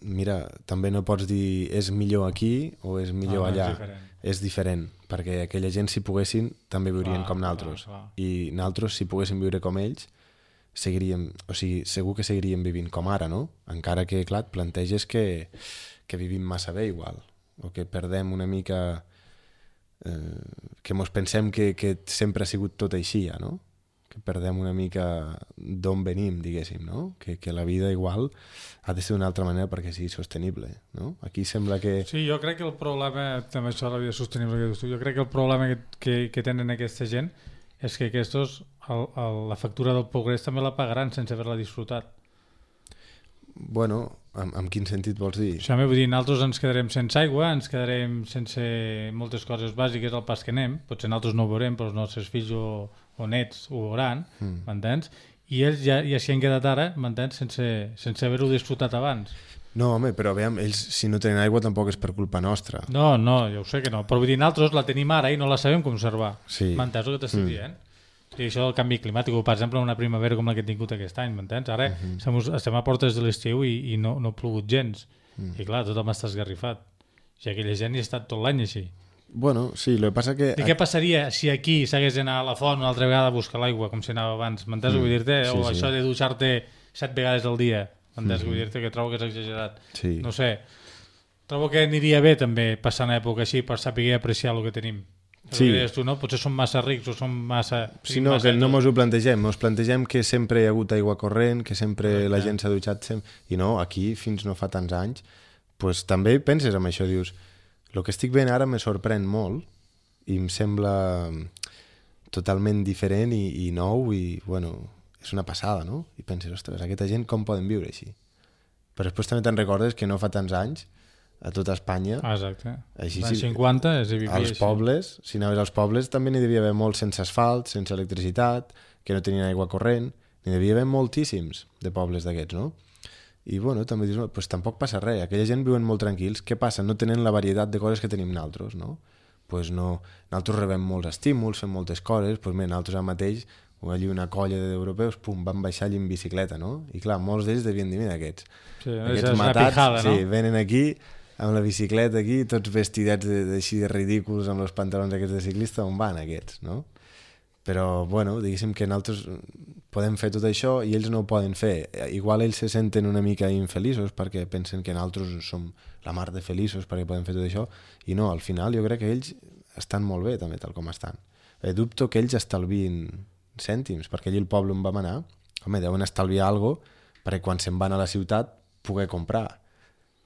mira, també no pots dir és millor aquí o és millor ah, allà. És diferent. És diferent, perquè aquella gent, si poguessin, també viurien Clar, com naltros. clar, clar. I naltros, si poguéssim viure com ells, seguiríem, o sigui, segur que seguiríem vivint com ara, no? Encara que, clar, et planteges que, que vivim massa bé igual, o que perdem una mica... Eh, que mos pensem que, que sempre ha sigut tot així, ja, no? Que perdem una mica d'on venim, diguéssim, no? Que, que la vida igual ha de ser d'una altra manera perquè sigui sostenible, no? Aquí sembla que... Sí, jo crec que el problema, també això de la vida sostenible que dius tu, jo crec que el problema que, que, que tenen aquesta gent és que aquests, el, el, la factura del progrés també la pagaran sense haver-la disfrutat. Bueno, en, en quin sentit vols dir? Això m'he vull dir, nosaltres ens quedarem sense aigua, ens quedarem sense moltes coses bàsiques al pas que anem, potser nosaltres no ho veurem, però els nostres fills o, o nets ho veuran, mm. m'entens? I ells ja, ja s'hi han quedat ara, m'entens? Sense, sense haver-ho disfrutat abans. No, home, però veiem, ells si no tenen aigua tampoc és per culpa nostra. No, no, jo ho sé que no, però vull dir, nosaltres la tenim ara i no la sabem conservar. Sí. M'entens el que t'estic mm. dient? I això del canvi climàtic, per exemple, una primavera com la que he tingut aquest any, m'entens? Ara uh -huh. estem a portes de l'estiu i, i no, no ha plogut gens. Uh -huh. I clar, tothom està esgarrifat. I aquella gent hi ha estat tot l'any així. Bueno, sí, el que passa que... I què passaria si aquí s'hagués d'anar a la font una altra vegada a buscar l'aigua, com si anava abans? M'entens? Mm. Vull dir-te? Sí, o sí. això de dutxar-te set vegades al dia. M'entens? Mm. Vull dir-te que trobo que és exagerat. Sí. No sé. Trobo que aniria bé també passar una època així per saber apreciar el que tenim. Sí. Que tu, no? Potser som massa rics o som massa... Si no, massa que no mos ho plantegem. Mos plantegem que sempre hi ha hagut aigua corrent, que sempre Correcte. La gent s'ha dutxat sempre... I no, aquí, fins no fa tants anys, pues, també penses en això, dius, el que estic veient ara me sorprèn molt i em sembla totalment diferent i, i nou i, bueno, és una passada, no? I penses, ostres, aquesta gent com poden viure així? Però després també te'n recordes que no fa tants anys a tota Espanya. Ah, exacte. Així, L'any cinquanta es vivia als així. pobles, si anaves als pobles també n'hi devia haver molts sense asfalt, sense electricitat, que no tenien aigua corrent, n'hi devia haver moltíssims de pobles d'aquests, no? I bueno, també dius, no, pues tampoc passa res, aquella gent viuen molt tranquils, què passa? No tenen la varietat de coses que tenim nosaltres, no? Pues no, nosaltres rebem molts estímuls, fem moltes coses, pues mira, nosaltres ara mateix, allí una colla d'europeus, pum, van baixar allí en bicicleta, no? I clar, molts d'ells devien dir, mira, aquests, sí, aquests és matats, pijada, no? sí, venen aquí amb la bicicleta aquí, tots vestidets així de ridículs amb els pantalons aquests de ciclista, on van aquests, no? Però, bueno, diguéssim que nosaltres podem fer tot això i ells no ho poden fer. Igual ells se senten una mica infeliços perquè pensen que nosaltres som la mar de feliços perquè podem fer tot això i no, al final jo crec que ells estan molt bé també tal com estan. Eh, dubto que ells estalvin cèntims, perquè allí el poble on vam anar, home, deuen estalviar alguna cosa perquè quan se'n van a la ciutat poder comprar.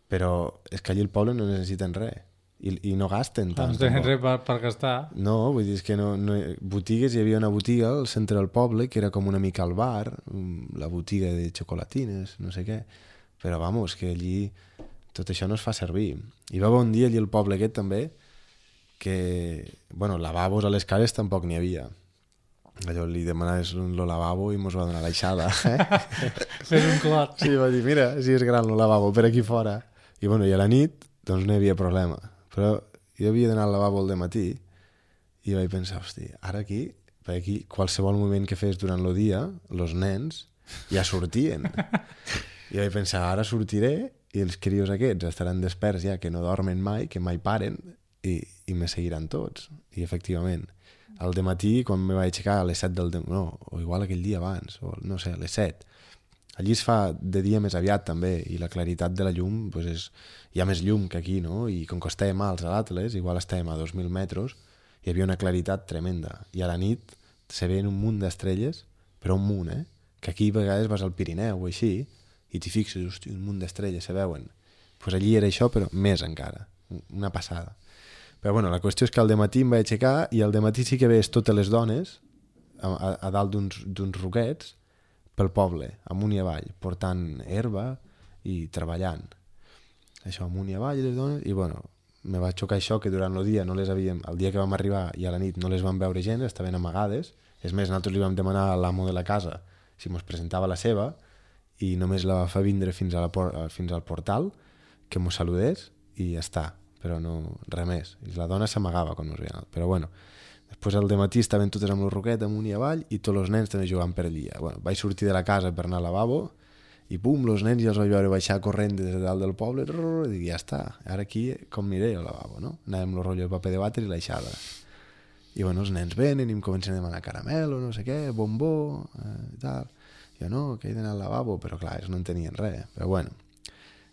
Però és que allí el poble no necessiten res i, i no gasten tant. No tenen res per, per gastar. No, vull dir, és que no, no, botigues, hi havia una botiga al centre del poble que era com una mica el bar, la botiga de xocolatines, no sé què, però vamos, que allí tot això no es fa servir. Hi va haver un dia allí al poble aquest també que, bueno, lavabos a les cares tampoc n'hi havia. Allò li demanaves un lo lavabo i mos va donar l'aixada. Eh? Fes un clot. Sí, va dir, mira, si és gran lo lavabo, per aquí fora. I bueno, i a la nit, doncs no hi havia problema. Però jo havia d'anar al lavabo al dematí i vaig pensar, hosti, ara aquí, per aquí, qualsevol moment que fes durant el dia, els nens ja sortien. I vaig pensar, ara sortiré i els crios aquests estaran desperts ja, que no dormen mai, que mai paren, i, i me seguiran tots. I efectivament, al dematí, quan me vaig aixecar a les set del dematí, no, o igual aquell dia abans, o no sé, a les set, allí es fa de dia més aviat també, i la claritat de la llum, pues és, hi ha més llum que aquí, no? I com que estàvem alts a l'Atles, igual estàvem a dos mil metres, hi havia una claritat tremenda. I a la nit se veien un munt d'estrelles, però un munt, eh? Que aquí a vegades vas al Pirineu o així, i t'hi fixes, hosti, un munt d'estrelles se veuen. pues allí era això, però més encara, una passada. Però bueno, la qüestió és que al dematí em vaig aixecar i al dematí sí que veus totes les dones a, a, a dalt d'uns roquets pel poble, amunt i avall, portant herba i treballant. Això, amunt i avall, les dones, i bueno, me va xocar això que durant el dia no les havíem, el dia que vam arribar i a la nit no les vam veure gens, estaven amagades. És més, nosaltres li vam demanar a l'amo de la casa si mos presentava la seva i només la va fer vindre fins, a la por fins al portal, que mos saludés i ja està, però no, res més. I la dona s'amagava quan mos veien. Però bueno, després al dematí estaven totes amb el roquet amunt i avall i tots els nens també jugant per allí. Bueno, vaig sortir de la casa per anar al lavabo i pum, els nens ja els vaig veure baixar corrent des de dalt del poble, i dic, ja està, ara aquí com aniré al lavabo, no? Anàvem el rotllo de paper de vàter i l'aixada. I bueno, els nens venen i em comencen a demanar caramel o no sé què, bombó, eh, i tal. Jo no, que he d'anar al lavabo, però clar, ells no en tenien res. Però bueno,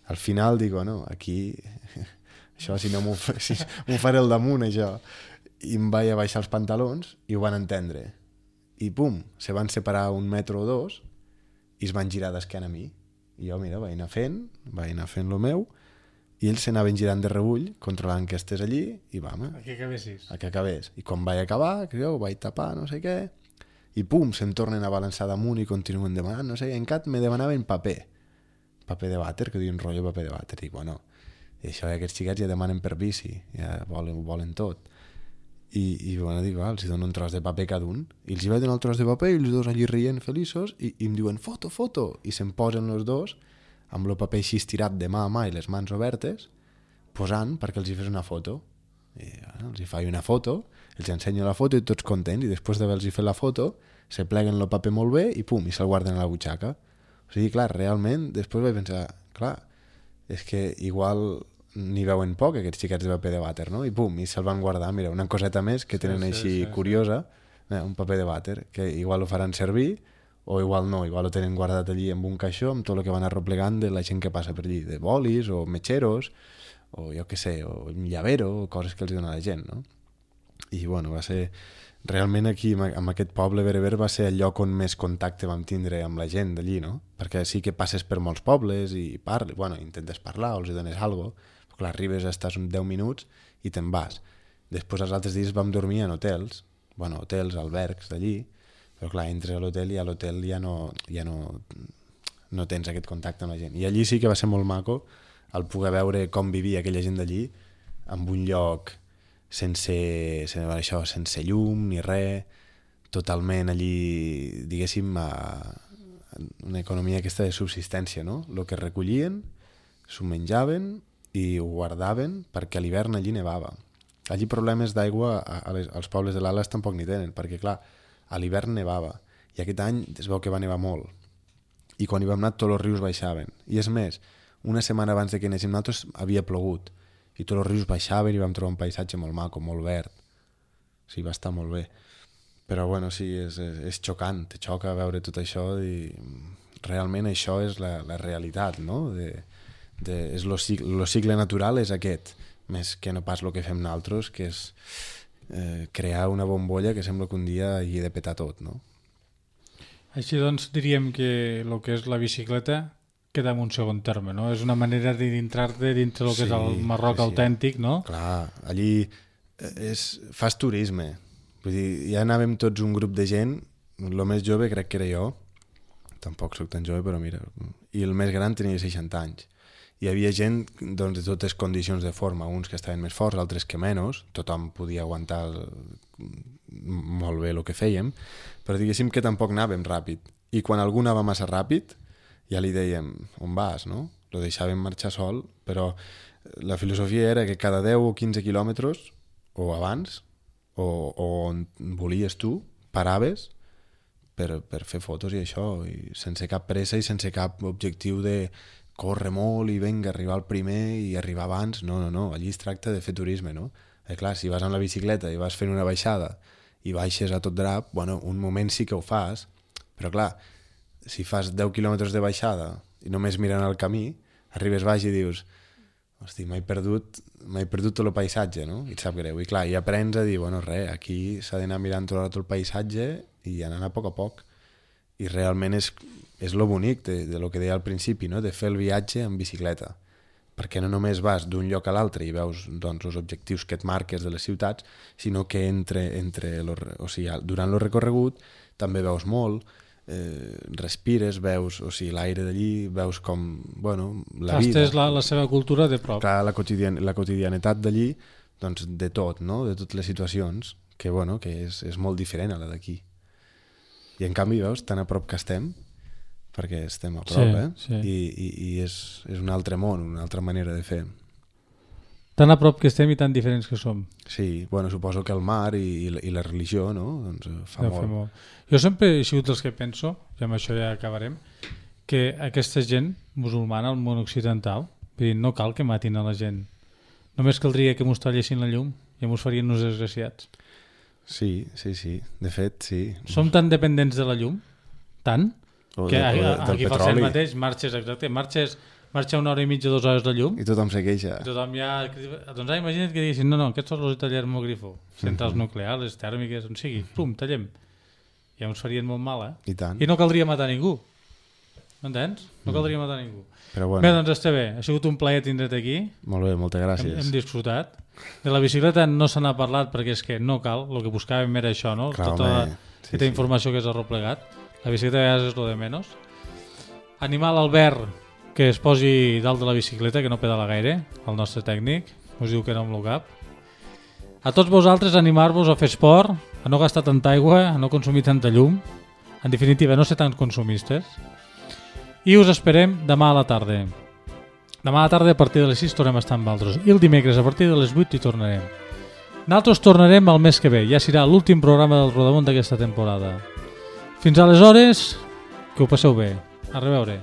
al final dic, bueno, aquí, això si no m'ho si faré al damunt, això. I em vaig a baixar els pantalons i ho van entendre. I pum, se van separar un metro o dos i es van girar d'esquena a mi. I jo, mira, vaig anar fent, vaig anar fent el meu, i ells s'anaven girant de rebull, controlant que estés allí, i vam, A que acabessis. a que acabés. I quan vaig acabar, que jo ho vaig tapar, no sé què, i pum, se'm tornen a balançar damunt i continuen demanant, no sé, en cap me demanaven paper. Paper de vàter, que diuen rotllo paper de vàter. I bueno, i això, aquests xiquets ja demanen per bici, ja volen, volen tot. I, i bueno, dic, va, els dono un tros de paper cada un, i els hi vaig donar el tros de paper i els dos allí rient feliços i, i em diuen foto, foto, i se'm posen els dos amb el paper així estirat de mà a mà i les mans obertes posant perquè els hi fes una foto. I bueno, els hi faig una foto, els ensenyo la foto i tots contents, i després d'haver-los fet la foto se pleguen el paper molt bé i pum, i se'l guarden a la butxaca. O sigui, clar, realment després vaig pensar, clar, és que igual n'hi veuen poc aquests xiquets de paper de vàter, no? I pum, i se'l van guardar, mira, una coseta més que tenen sí, sí, així sí, curiosa, sí. Un paper de vàter, que igual ho faran servir o igual no, igual ho tenen guardat allí en un caixó amb tot el que van arroplegant de la gent que passa per allí, de bolis o metxeros o jo què sé, o un llavero o coses que els dona la gent, no? I bueno, va ser realment aquí amb aquest poble bereber va ser el lloc on més contacte vam tindre amb la gent d'allí, no? Perquè sí que passes per molts pobles i parles, bueno, intentes parlar o els dones alguna cosa, però clar, arribes, estàs uns deu minuts i te'n vas. Després els altres dies vam dormir en hotels, bueno, hotels, albergs d'allí, però clar, entres a l'hotel i a l'hotel ja no, ja no, no tens aquest contacte amb la gent. I allí sí que va ser molt maco el poder veure com vivia aquella gent d'allí en un lloc sense, sense, això, sense llum ni res, totalment allí, diguéssim, a una economia aquesta de subsistència, no? El que recollien, s'ho menjaven i ho guardaven perquè a l'hivern allí nevava. Allí problemes d'aigua als pobles de l'Ales tampoc n'hi tenen, perquè clar, a l'hivern nevava i aquest any es veu que va nevar molt i quan hi vam anar tots els rius baixaven i és més, una setmana abans de que anéssim nosaltres havia plogut i tots els rius baixaven i vam trobar un paisatge molt maco, molt verd, o sigui, va estar molt bé, però bueno, sí, és, és, és xocant, te xoca veure tot això i realment això és la, la realitat, no? De, de, és lo cicle, lo cicle natural és aquest, més que no pas el que fem nosaltres, que és eh, crear una bombolla que sembla que un dia hi he de petar tot, no? Així doncs diríem que el que és la bicicleta queda en un segon terme, no? És una manera d'entrar-te dintre del que sí, és el Marroc sí, sí. autèntic, no? Clar, allí és, fas turisme, vull dir, ja anàvem tots un grup de gent, el més jove crec que era jo, tampoc soc tan jove, però mira, i el més gran tenia seixanta anys. Hi havia gent doncs, de totes condicions de forma, uns que estaven més forts, altres que menys, tothom podia aguantar el... molt bé el que fèiem, però diguéssim que tampoc anàvem ràpid. I quan algú anava massa ràpid, ja li dèiem, on vas, no? Lo deixàvem marxar sol, però la filosofia era que cada deu o quinze quilòmetres, o abans, o, o on volies tu, paraves per, per fer fotos i això, i sense cap pressa i sense cap objectiu de córrer molt i venga, arribar al primer i arribar abans. No, no, no, allí es tracta de fer turisme, no? Eh, clar, si vas amb la bicicleta i vas fent una baixada i baixes a tot drap, bueno, un moment sí que ho fas, però clar, si fas deu quilòmetres de baixada i només mirant el camí, arribes baix i dius, hosti, m'he perdut, m'he perdut tot el paisatge, no? I et sap greu. I clar, i aprens a dir, bueno, res, aquí s'ha d'anar mirant tot el paisatge i anar a poc a poc. I realment és, és lo bonic de, de lo que deia al principi, no? De fer el viatge en bicicleta, perquè no només vas d'un lloc a l'altre i veus doncs, els objectius que et marques de les ciutats, sinó que entre, entre lo, o sigui, durant el recorregut també veus molt, eh, respires, veus o sigui, l'aire d'allí, veus com bueno, la vida. Tastes la, la seva cultura de prop. Clar, la, quotidian, la quotidianitat d'allí, doncs de tot, no? De totes les situacions, que, bueno, que és, és molt diferent a la d'aquí. I en canvi, veus, tan a prop que estem, perquè estem a prop, sí, eh? Sí. I, i, i és, és un altre món, una altra manera de fer. Tan a prop que estem i tan diferents que som. Sí, bueno, suposo que el mar i, i, la, i la religió, no? Doncs fa Ja molt. molt. Jo sempre he sigut dels que penso, i amb això ja acabarem, que aquesta gent musulmana al món occidental, vull dir, no cal que matin a la gent. Només caldria que mos tallessin la llum i mos farien uns desgraciats. Sí, sí, sí. De fet, sí. Som tan dependents de la llum, tant, O que de, a- o de, a- del aquí fa el petroli. mateix, marxes, exacte, marxes, marxa una hora i mitja, dues hores de llum, I tothom se queixa. tothom ja... Doncs ara imagina't que diguessin, no, no, aquests són els tallers molt grifo, centrals nuclears, tèrmiques, on sigui, pum, tallem. Ja ens farien molt mal, eh? I tant. I no caldria matar ningú. M'entens? No caldria matar ningú. Però Bé, bueno, doncs està bé. Ha sigut un plaer tindre't aquí. molt bé, moltes Hem, gràcies. hem disfrutat. De la bicicleta no se n'ha parlat perquè és que no cal. El que buscàvem era això, no? Clar, Tota home, sí, aquesta sí. informació que és arreplegat. La bicicleta a vegades és lo de menys. Animar l'Albert que es posi dalt de la bicicleta, que no pedala gaire, el nostre tècnic. Us diu que no amb el cap. A tots vosaltres animar-vos a fer esport, a no gastar tanta aigua, a no consumir tanta llum. En definitiva, no ser tan consumistes. I us esperem demà a la tarda. Demà a la tarda a partir de les sis tornem a estar amb altres. I el dimecres a partir de les vuit hi tornarem. Nosaltres tornarem el mes que ve. Ja serà l'últim programa del Rodamont d'aquesta temporada. Fins aleshores, que ho passeu bé. A reveure.